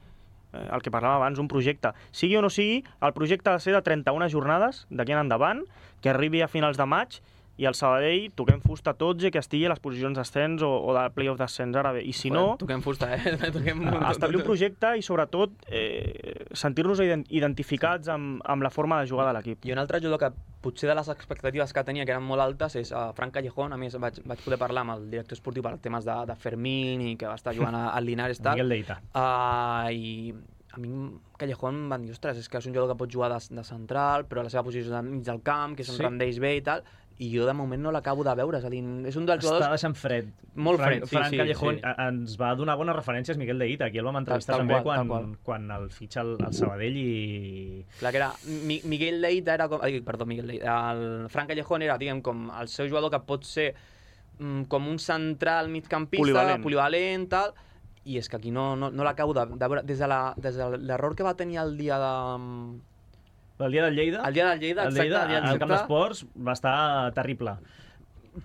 el que parlàvem abans, un projecte. Sigui o no sigui, el projecte ha de ser de trenta-una jornades d'aquí en endavant, que arribi a finals de maig, i el Sabadell toquem fusta tots i que estigui a les posicions d'ascens o, o de play-off d'ascens ara bé. I si no... Toquem fusta, eh? Toquem... Establir un projecte i, sobretot, eh, sentir-nos identificats amb, amb la forma de jugar de l'equip. I un altre jugador que potser de les expectatives que tenia, que eren molt altes, és uh, Fran Callejón. A més, vaig, vaig poder parlar amb el director esportiu per temes de, de Fermín, i que va estar jugant al Linares. Miguel Deita. Uh, I a mi Callejón em van dir, ostres, és que és un jugador que pot jugar de, de central, però la seva posició és al mig del camp, que se'n sí. rendeix bé i tal, i jo de moment no l'acabo de veure. És a dir, és un dels jugadors... Està deixant fred. Molt Fran, fred, sí, Fran sí. Callejón sí. ens va donar bones referències Miguel Deita. Aquí el vam entrevistar també quan, quan el fitxa el, el Sabadell i... Clar que era... Mi, Miguel Deita era com... Ai, perdó, Miguel Deita. El Fran Callejón era, diguem, com el seu jugador que pot ser mm, com un central migcampista, polivalent, polivalent tal... I és que aquí no, no, no l'acabo de, de veure. Des de l'error que va tenir el dia de, El dia del Lleida, el dia del Lleida, el exacte, Lleida, el dia al Camp exacte. d'Esports va estar terrible.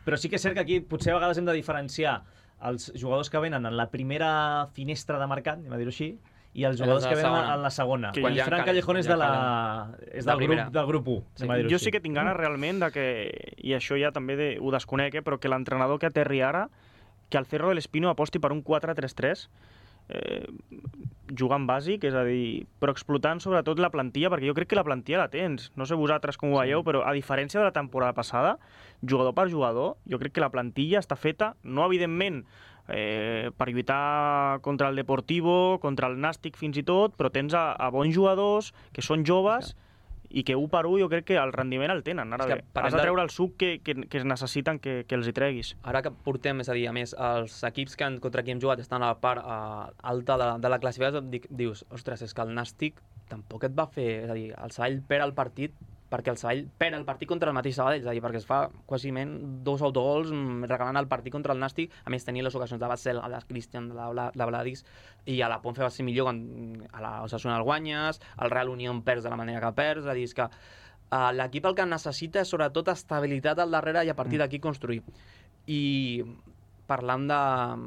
Però sí que és cert que aquí potser a vegades hem de diferenciar els jugadors que venen en la primera finestra de mercat, anem a dir-ho així, i els jugadors que venen en la segona. Que I ja Fran calen, Callejón és, ja de la, és del, grup, del grup u, anem a dir-ho Jo així. sí que tinc ganes realment de que, i això ja també de, ho desconec, eh, però que l'entrenador que aterri ara, que el Cerro del Espino aposti per un quatre tres tres, eh, jugant bàsic, és a dir, però explotant sobretot la plantilla, perquè jo crec que la plantilla la tens. No sé vosaltres com ho veieu, però a diferència de la temporada passada, jugador per jugador, jo crec que la plantilla està feta, no evidentment eh, per lluitar contra el Deportivo, contra el Nàstic fins i tot, però tens a, a bons jugadors que són joves i que un per un jo crec que el rendiment el tenen. Ara És que bé, parlem has de de- treure el suc que, que, que es necessiten que, que els hi treguis. Ara que portem, és a dir, a més, els equips que han, contra qui hem jugat estan a la part uh, alta de, de la classificació, dic, dius, ostres, és que el Nàstic tampoc et va fer... És a dir, el Sabadell perd el partit perquè el Sabadell perd el partit contra el mateix Sabadell, és a dir, perquè es fa quasiment dos autogols mm, regalant el partit contra el Nàstic, a més tenir les ocasions de Basel, de Cristian, de, la, de Vladis, i a la Ponce va ser millor quan a la Osasuna el guanyes, el Real Unión perds de la manera que perds, és a dir, és que uh, l'equip el que necessita és sobretot estabilitat al darrere i a partir d'aquí construir. I parlant de,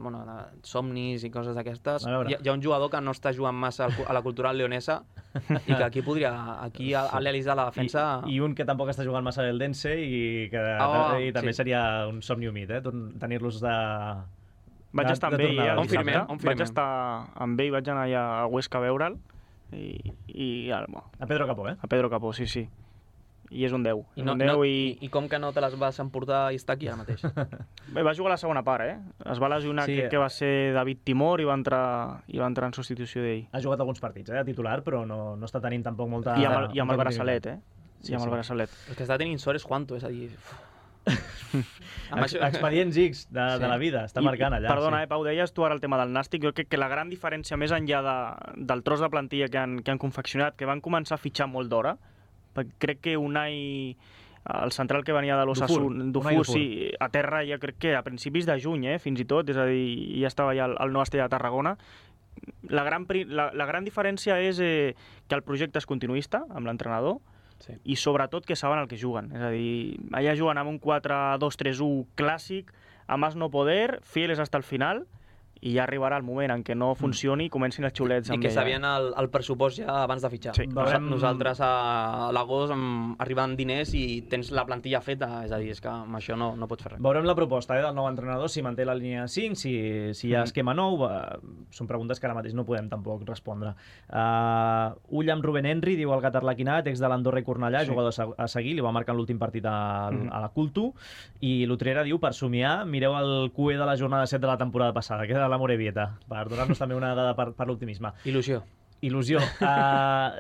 bueno, de somnis i coses d'aquestes, A veure. hi, ha- hi ha un jugador que no està jugant massa al cu- a la cultural leonesa i que aquí podria, aquí a, a l'Elis de la defensa... I, I un que tampoc està jugant massa al Eldense i que Oh, i també sí. seria un somni humit, eh? Tor- tenir-los de... Vaig de, estar de amb ell, tornada eh, el on firmem, dissabte. on firmem. Vaig estar amb ell, vaig anar allà a Huesca a veure'l i, i ara, bueno, A Pedro Capó, eh? a Pedro Capó, sí, sí. I és un deu. I, és no, un deu no, i... i... I com que no te les vas emportar i estar aquí ara mateix? Bé, va jugar la segona part, eh? Es va lesionar, Sí, sí, crec eh. que va ser David Timor i va entrar, i va entrar en substitució d'ell. Ha jugat alguns partits, eh? De titular, però no, no està tenint tampoc molta... I amb el, i amb el molta braçalet, eh? Sí, I amb sí. el braçalet. El que està tenint sort és Juanto, és a dir... Amb Ex això- Expedients X de, Sí. de la vida, està I- marcant allà. Perdona, sí. eh, Pau, deies tu ara el tema del Nàstic. Jo crec que la gran diferència, més enllà de, del tros de plantilla que han, que han confeccionat, que van començar a fitxar molt d'hora, perquè crec que Unai, el central que venia de l'Osasuna, Dufour, Unai Dufour, Dufour. sí, a terra ja crec que a principis de juny, eh, fins i tot, és a dir, ja estava ja al, al Nou Estella de Tarragona. La gran, pri- la, la gran diferència és eh, que el projecte és continuista amb l'entrenador, Sí. i sobretot que saben el que juguen. És a dir, allà juguen amb un quatre dos tres u clàssic, a más no poder, fieles hasta el final, i ja arribarà el moment en què no funcioni i comencin els xulets I amb que ella. sabien el, el pressupost ja abans de fitxar. Sí. Nosa- Veurem- Nosaltres a l'agost amb- arriben diners i tens la plantilla feta, és a dir, és que amb això no, no pots fer res. Veurem la proposta eh, del nou entrenador, si manté la línia cinc, si, si hi ha esquema nou. Eh, són preguntes que ara mateix no podem tampoc respondre. Uh, ull amb Rubén Henry, diu el Gat Arlequinat, ex de l'Andorra i Cornellà, Sí. jugador a se- a seguir, li va marcar en l'últim partit a, Mhm. a la Cultu. I l'Utrera diu, per somiar, mireu el Q E de la jornada set de la temporada passada, que era la Morevieta, per donar-nos també una dada per, per l'optimisme. Il·lusió. Il·lusió. Uh,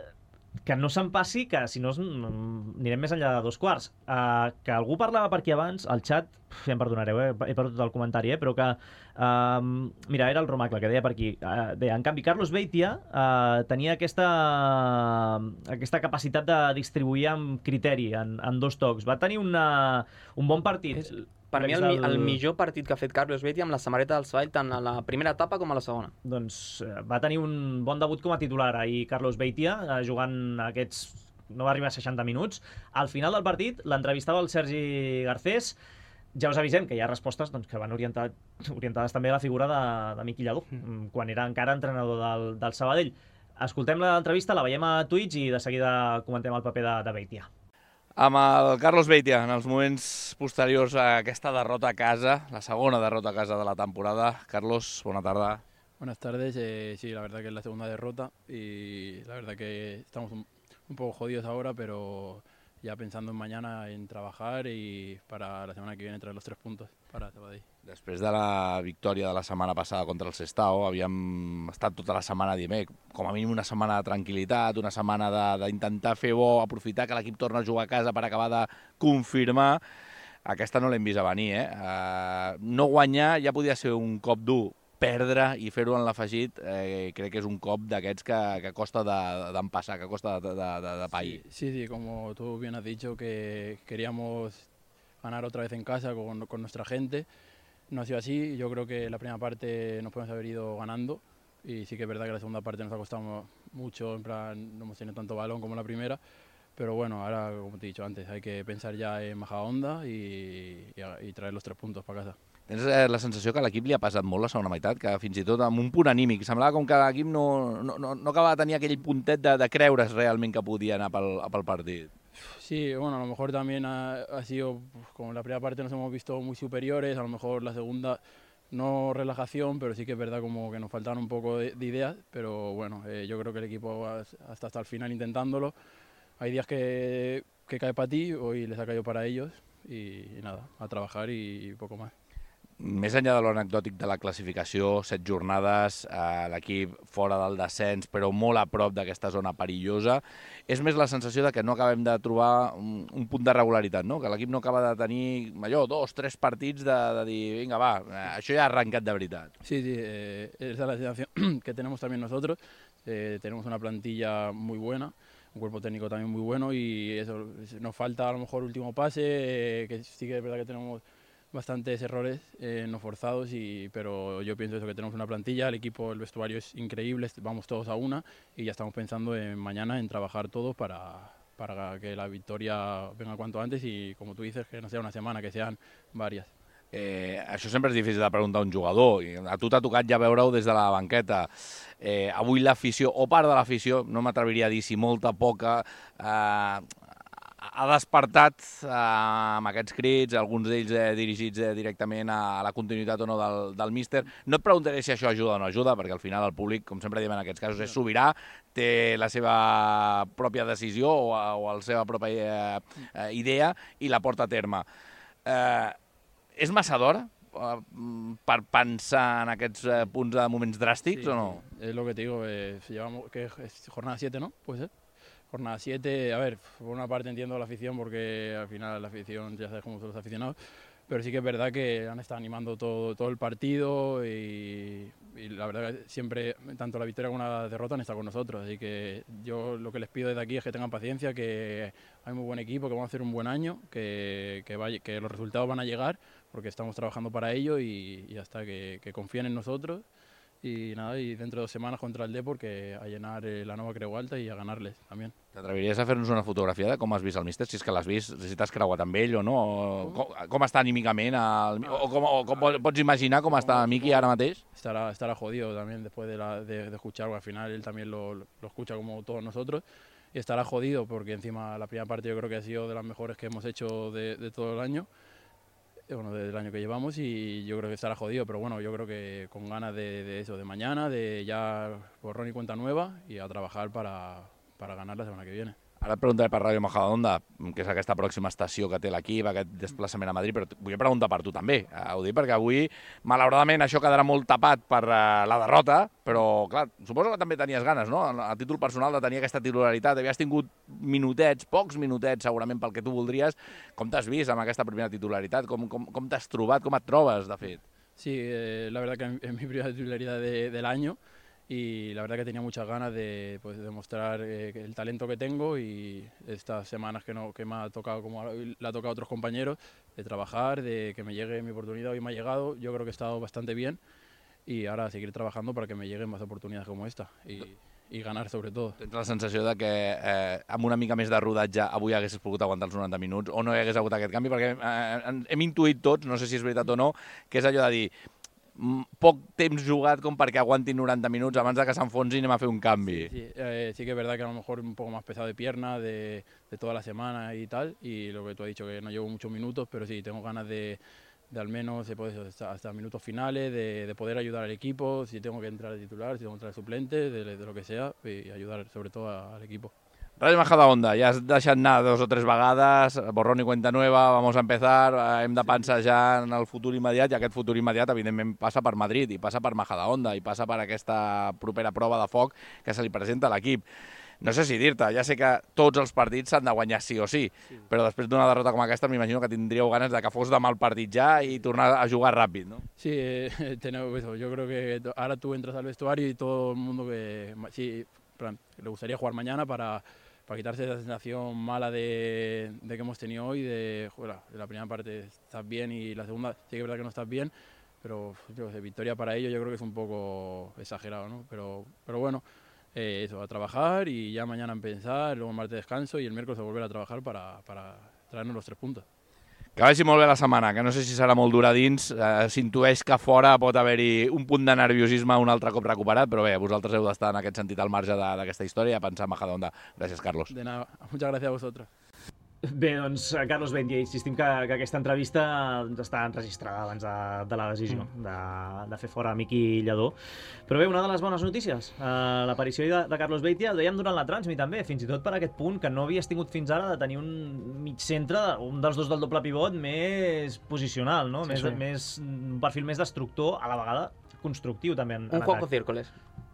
que no se'n passi, que si no es- mm, anirem més enllà de dos quarts. Uh, que algú parlava per aquí abans, al xat, uf, ja em perdonareu, eh? he perdut el comentari, eh? però que, uh, mira, era el Romacle que deia per aquí, uh, deia, en canvi, Carlos Beitia uh, tenia aquesta, aquesta capacitat de distribuir amb criteri, en, en dos tocs. Va tenir una, un bon partit. És, per mi, el, mi- Del- el millor partit que ha fet Carlos Betti amb la samarreta del Sabadell, tant a la primera etapa com a la segona. Doncs eh, va tenir un bon debut com a titular ahir Carlos Beitia, eh, jugant aquests... no va arribar a seixanta minuts. Al final del partit l'entrevistava el Sergi Garcés. Ja us avisem que hi ha respostes doncs, que van orientat, orientades també a la figura de, de Miqui Lladó, mm. quan era encara entrenador del, del Sabadell. Escoltem l'entrevista, la veiem a Twitch i de seguida comentem el paper de, de Beitia. Amb el Carlos Beitia, en els moments posteriors a aquesta derrota a casa, la segona derrota a casa de la temporada. Carlos, bona tarda. Buenas tardes, eh, sí, la verdad que es la segunda derrota y la verdad que estamos un, un poco jodidos ahora, pero ya pensando en mañana en trabajar y para la semana que viene traer los tres puntos para Sabadell. Després de la victòria de la setmana passada contra el Sestao, havíem estat tota la setmana dient, eh, com a mínim una setmana de tranquil·litat, una setmana de- d'intentar fer bo, aprofitar que l'equip torna a jugar a casa per acabar de confirmar. Aquesta no l'hem vist a venir, eh? Uh, no guanyar ja podia ser un cop dur, perdre i fer-ho en l'afegit, eh, crec que és un cop d'aquests que, que costa d'empassar, que costa de, de, de, de pair. Sí, sí, como tú bien has dicho, que queríamos ganar otra vez en casa con, con nuestra gente. No ha sido así, yo creo que la primera parte nos podemos haber ido ganando y sí que es verdad que la segunda parte nos ha costado mucho, en plan, no hemos tenido tanto balón como la primera, pero bueno, ahora, como te he dicho antes, hay que pensar ya en Majadahonda y, y, y traer los tres puntos para casa. Tens la sensació que a l'equip li ha passat molt la segona meitat, que fins i tot amb un punt anímic semblava com que l'equip no, no, no, no acabava de tenir aquell puntet de, de creure's realment que podia anar pel, pel partit. Sí, bueno, a lo mejor también ha, ha sido, pues, como en la primera parte nos hemos visto muy superiores, a lo mejor la segunda no relajación, pero sí que es verdad como que nos faltaban un poco de, de ideas, pero bueno, eh, yo creo que el equipo hasta hasta el final intentándolo. Hay días que, que cae para ti, hoy les ha caído para ellos y, y nada, a trabajar y, y poco más. Més enllà de l'anecdòtic de la classificació, set jornades, eh, l'equip fora del descens, però molt a prop d'aquesta zona perillosa, és més la sensació de que no acabem de trobar un, un punt de regularitat, no? Que l'equip no acaba de tenir allò, dos, tres partits de, de dir, vinga, va, això ja ha arrencat de veritat. Sí, sí, eh, esa es la sensación que tenemos también nosotros. Eh, tenemos una plantilla muy buena, un cuerpo técnico también muy bueno y eso, nos falta a lo mejor último pase, eh, que sí que es verdad que tenemos bastantes errores eh, no forzados, y, pero yo pienso eso, que tenemos una plantilla, el equipo, el vestuario es increíble, vamos todos a una y ya estamos pensando en mañana en trabajar todos para, para que la victoria venga cuanto antes y, como tú dices, que no sea una semana, que sean varias. Eh, això sempre és difícil de preguntar a un jugador, i a tu t'ha tocat ja veure-ho des de la banqueta. Eh, avui l'afició, o part de l'afició, no m'atreviria a dir si molta, poca, eh, ha despertat eh, amb aquests crits, alguns d'ells eh, dirigits eh, directament a la continuïtat o no del, del míster. No et preguntaré si això ajuda o no ajuda, perquè al final el públic, com sempre diem en aquests casos, és sobirà, té la seva pròpia decisió o, o la seva pròpia eh, idea i la porta a terme. Eh, és massa d'hora eh, per pensar en aquests eh, punts de moments dràstics, sí, o no? Es lo que te digo, eh, llevamos, que es jornada siete, ¿no? Puede ser. Jornada siete, a ver, por una parte entiendo la afición porque al final la afición ya sabes cómo son los aficionados, pero sí que es verdad que han estado animando todo, todo el partido y, y la verdad que siempre, tanto la victoria como la derrota han estado con nosotros, así que yo lo que les pido desde aquí es que tengan paciencia, que hay muy buen equipo, que vamos a hacer un buen año, que, que, vaya, que los resultados van a llegar porque estamos trabajando para ello y, y hasta que, que confíen en nosotros. Y nada, y dentro de dos semanas contra el Depor, que a llenar eh, la nova Creu Alta i a ganarles també. T'atreviries a fer-nos una fotografia de com has vist el míster, si és que l'has vist, si t'has creuat amb ell o no, o com, com està anímicament, el, o, com, o com pots imaginar com està Miki ara mateix? Estará, estará jodido también después de, la, de, de escuchar, al final él también lo, lo escucha como todos nosotros, y estará jodido porque encima la primera parte yo creo que ha sido de las mejores que hemos hecho de, de todo el año. Bueno, desde el año que llevamos, y yo creo que estará jodido, pero bueno, yo creo que con ganas de, de eso, de mañana, de ya borrón y cuenta nueva y a trabajar para, para ganar la semana que viene. Ara et preguntaré per Ràdio Majadahonda, que és aquesta pròxima estació que té l'equip, aquest desplaçament a Madrid, però vull preguntar per tu també. Ho dic perquè avui, malauradament, això quedarà molt tapat per la derrota, però, clar, suposo que també tenies ganes, no?, a títol personal, de tenir aquesta titularitat. Havies tingut minutets, pocs minutets, segurament, pel que tu voldries. Com t'has vist amb aquesta primera titularitat? Com, com, com t'has trobat? Com et trobes, de fet? Sí, eh, la verdad que es mi primera titularidad de, del año. Y la verdad que tenía muchas ganas de, pues, de demostrar eh, el talento que tengo, y estas semanas que, no, que me ha tocado, como le ha tocado a otros compañeros, de trabajar, de que me llegue mi oportunidad. Hoy me ha llegado, yo creo que he estado bastante bien, y ahora seguir trabajando para que me lleguen más oportunidades como esta y, y ganar sobre todo. Tens la sensació de que eh, amb una mica més de rodatge avui haguessis pogut aguantar els noranta minuts o no hi hagués hagut aquest canvi? Perquè eh, hem intuït tots, no sé si és veritat o no, que és allò de dir poc temps jugat com perquè aguantin noranta minuts abans de que s'enfonsin i anem a fer un canvi. Sí, sí, eh, sí que es verdad que a lo mejor un poco más pesado de pierna, de, de toda la semana y tal, y lo que tú has dicho, que no llevo muchos minutos, pero sí, tengo ganas de, de al menos de poder, hasta, hasta minutos finales, de, de poder ayudar al equipo, si tengo que entrar de titular, si tengo que entrar de suplente, de, de lo que sea, y ayudar sobre todo a, al equipo. Ràdio Majadahonda, ja has deixat anar dos o tres vegades, borrón i cuenta nueva, vamos a empezar, hem de pensar ja en el futur immediat, i aquest futur immediat evidentment passa per Madrid, i passa per Majadahonda, i passa per aquesta propera prova de foc que se li presenta a l'equip. No sé si dir-te, ja sé que tots els partits s'han de guanyar sí o sí, sí. Però després d'una derrota com aquesta m'imagino que tindríeu ganes de que fos demà el partit ja i tornar a jugar ràpid, ¿no? Sí, eh, tenemos eso. Yo creo que ahora tú entras al vestuario y todo el mundo que sí, plan, le gustaría jugar mañana para... para quitarse esa sensación mala de, de que hemos tenido hoy, de, joder, la primera parte estás bien y la segunda sí que es verdad que no estás bien, pero yo sé, victoria para ellos yo creo que es un poco exagerado, ¿no? Pero, pero bueno, eh, eso, a trabajar y ya mañana empezar, luego el martes descanso y el miércoles a volver a trabajar para, para traernos los tres puntos. Que vagi molt bé la setmana, que no sé si serà molt dura dins, eh, s'intueix que fora pot haver-hi un punt de nerviosisme un altre cop recuperat, però bé, vosaltres heu d'estar en aquest sentit al marge d'aquesta història, a pensar en Majadahonda. Gràcies, Carlos. De nada, muchas gracias a vosotros. Bé, doncs, Carlos Beitia, insistim que, que aquesta entrevista està enregistrada abans de, de la decisió mm. de, de fer fora Miqui Lladó. Però bé, una de les bones notícies, eh, l'aparició de, de Carlos Beitia, el veiem durant la Transmi també, fins i tot per aquest punt que no havies tingut fins ara de tenir un mig centre, un dels dos del doble pivot més posicional, no? Sí, més, sí. Més, un perfil més destructor, a la vegada constructiu també en, en un Juanjo Círcoles.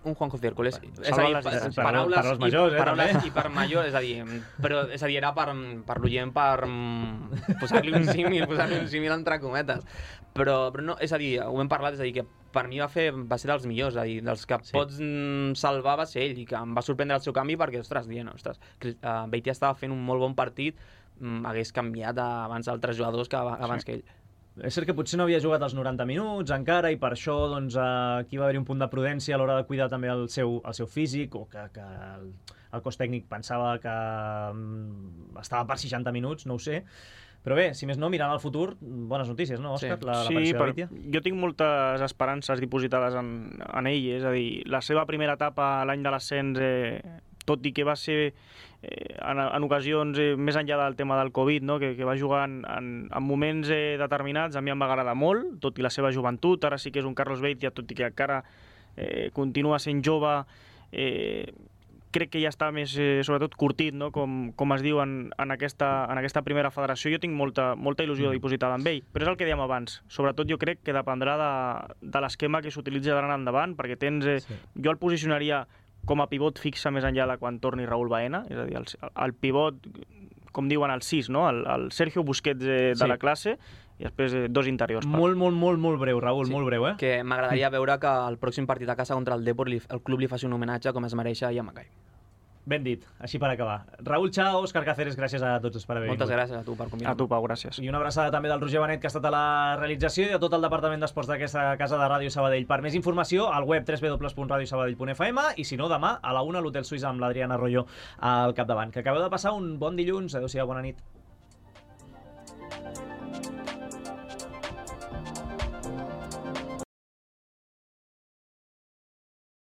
Un Juanjo Círcoles. Bueno, és a dir, per, per, paraules, per als majors, i, eh, paraules també. I per majors, és a dir, però, és a dir, era per, per l'oient per posar-li un símil, posar-li un símil entre cometes. Però, però no, és a dir, ho hem parlat, és a dir, que per mi va, fer, va ser dels millors, és a dir, dels que sí. pots salvar va ser ell, i que em va sorprendre el seu canvi perquè, ostres, dient, ostres, uh, Beitia estava fent un molt bon partit, um, hagués canviat abans altres jugadors que abans sí. que ell. És cert que potser no havia jugat els noranta minuts encara i per això doncs, aquí va haver-hi un punt de prudència a l'hora de cuidar també el seu, el seu físic o que, que el, el cos tècnic pensava que um, estava per seixanta minuts, no ho sé. Però bé, si més no, mirant al futur, bones notícies, no, Òscar? Sí, la, sí per, jo tinc moltes esperances dipositades en, en ell, és a dir, la seva primera etapa l'any de l'ascens, eh, tot i que va ser eh, en, en ocasions eh, més enllà del tema del Covid, no? que, que va jugar en, en, en moments eh, determinats, a mi em va agradar molt, tot i la seva joventut, ara sí que és un Carlos Beitia, tot i que encara eh, continua sent jove, eh, crec que ja està més, eh, sobretot, curtit, no? com, com es diu en, en, aquesta, en aquesta primera federació. Jo tinc molta, molta il·lusió dipositada amb ell, però és el que dèiem abans. Sobretot jo crec que dependrà de, de l'esquema que s'utilitza d'ara en endavant, perquè tens... Eh, sí. Jo el posicionaria com a pivot fixa més enllà de quan torni Raúl Baena, és a dir, el, el pivot, com diuen el sis, no? el, el Sergio Busquets de, de sí. la classe, i després eh, dos interiors. Molt, molt, molt, molt breu, Raúl, sí. molt breu, eh? Que m'agradaria veure que el pròxim partit a casa contra el Depor li, el club li faci un homenatge com es mereix a Yamacay. Ben dit, així per acabar. Raúl Chao, Òscar Cáceres, gràcies a tots per haver vingut. Moltes gràcies a tu per convidar-me. A tu, Pau, gràcies. I una abraçada també del Roger Benet, que ha estat a la realització, i a tot el Departament d'Esports d'aquesta casa de Ràdio Sabadell. Per més informació, al web w w w punt radio sabadell punt f m i, si no, demà a la una a l'Hotel Suïssa amb l'Adriana Arroyo al capdavant. Que acabeu de passar un bon dilluns. Adéu-siau, bona nit.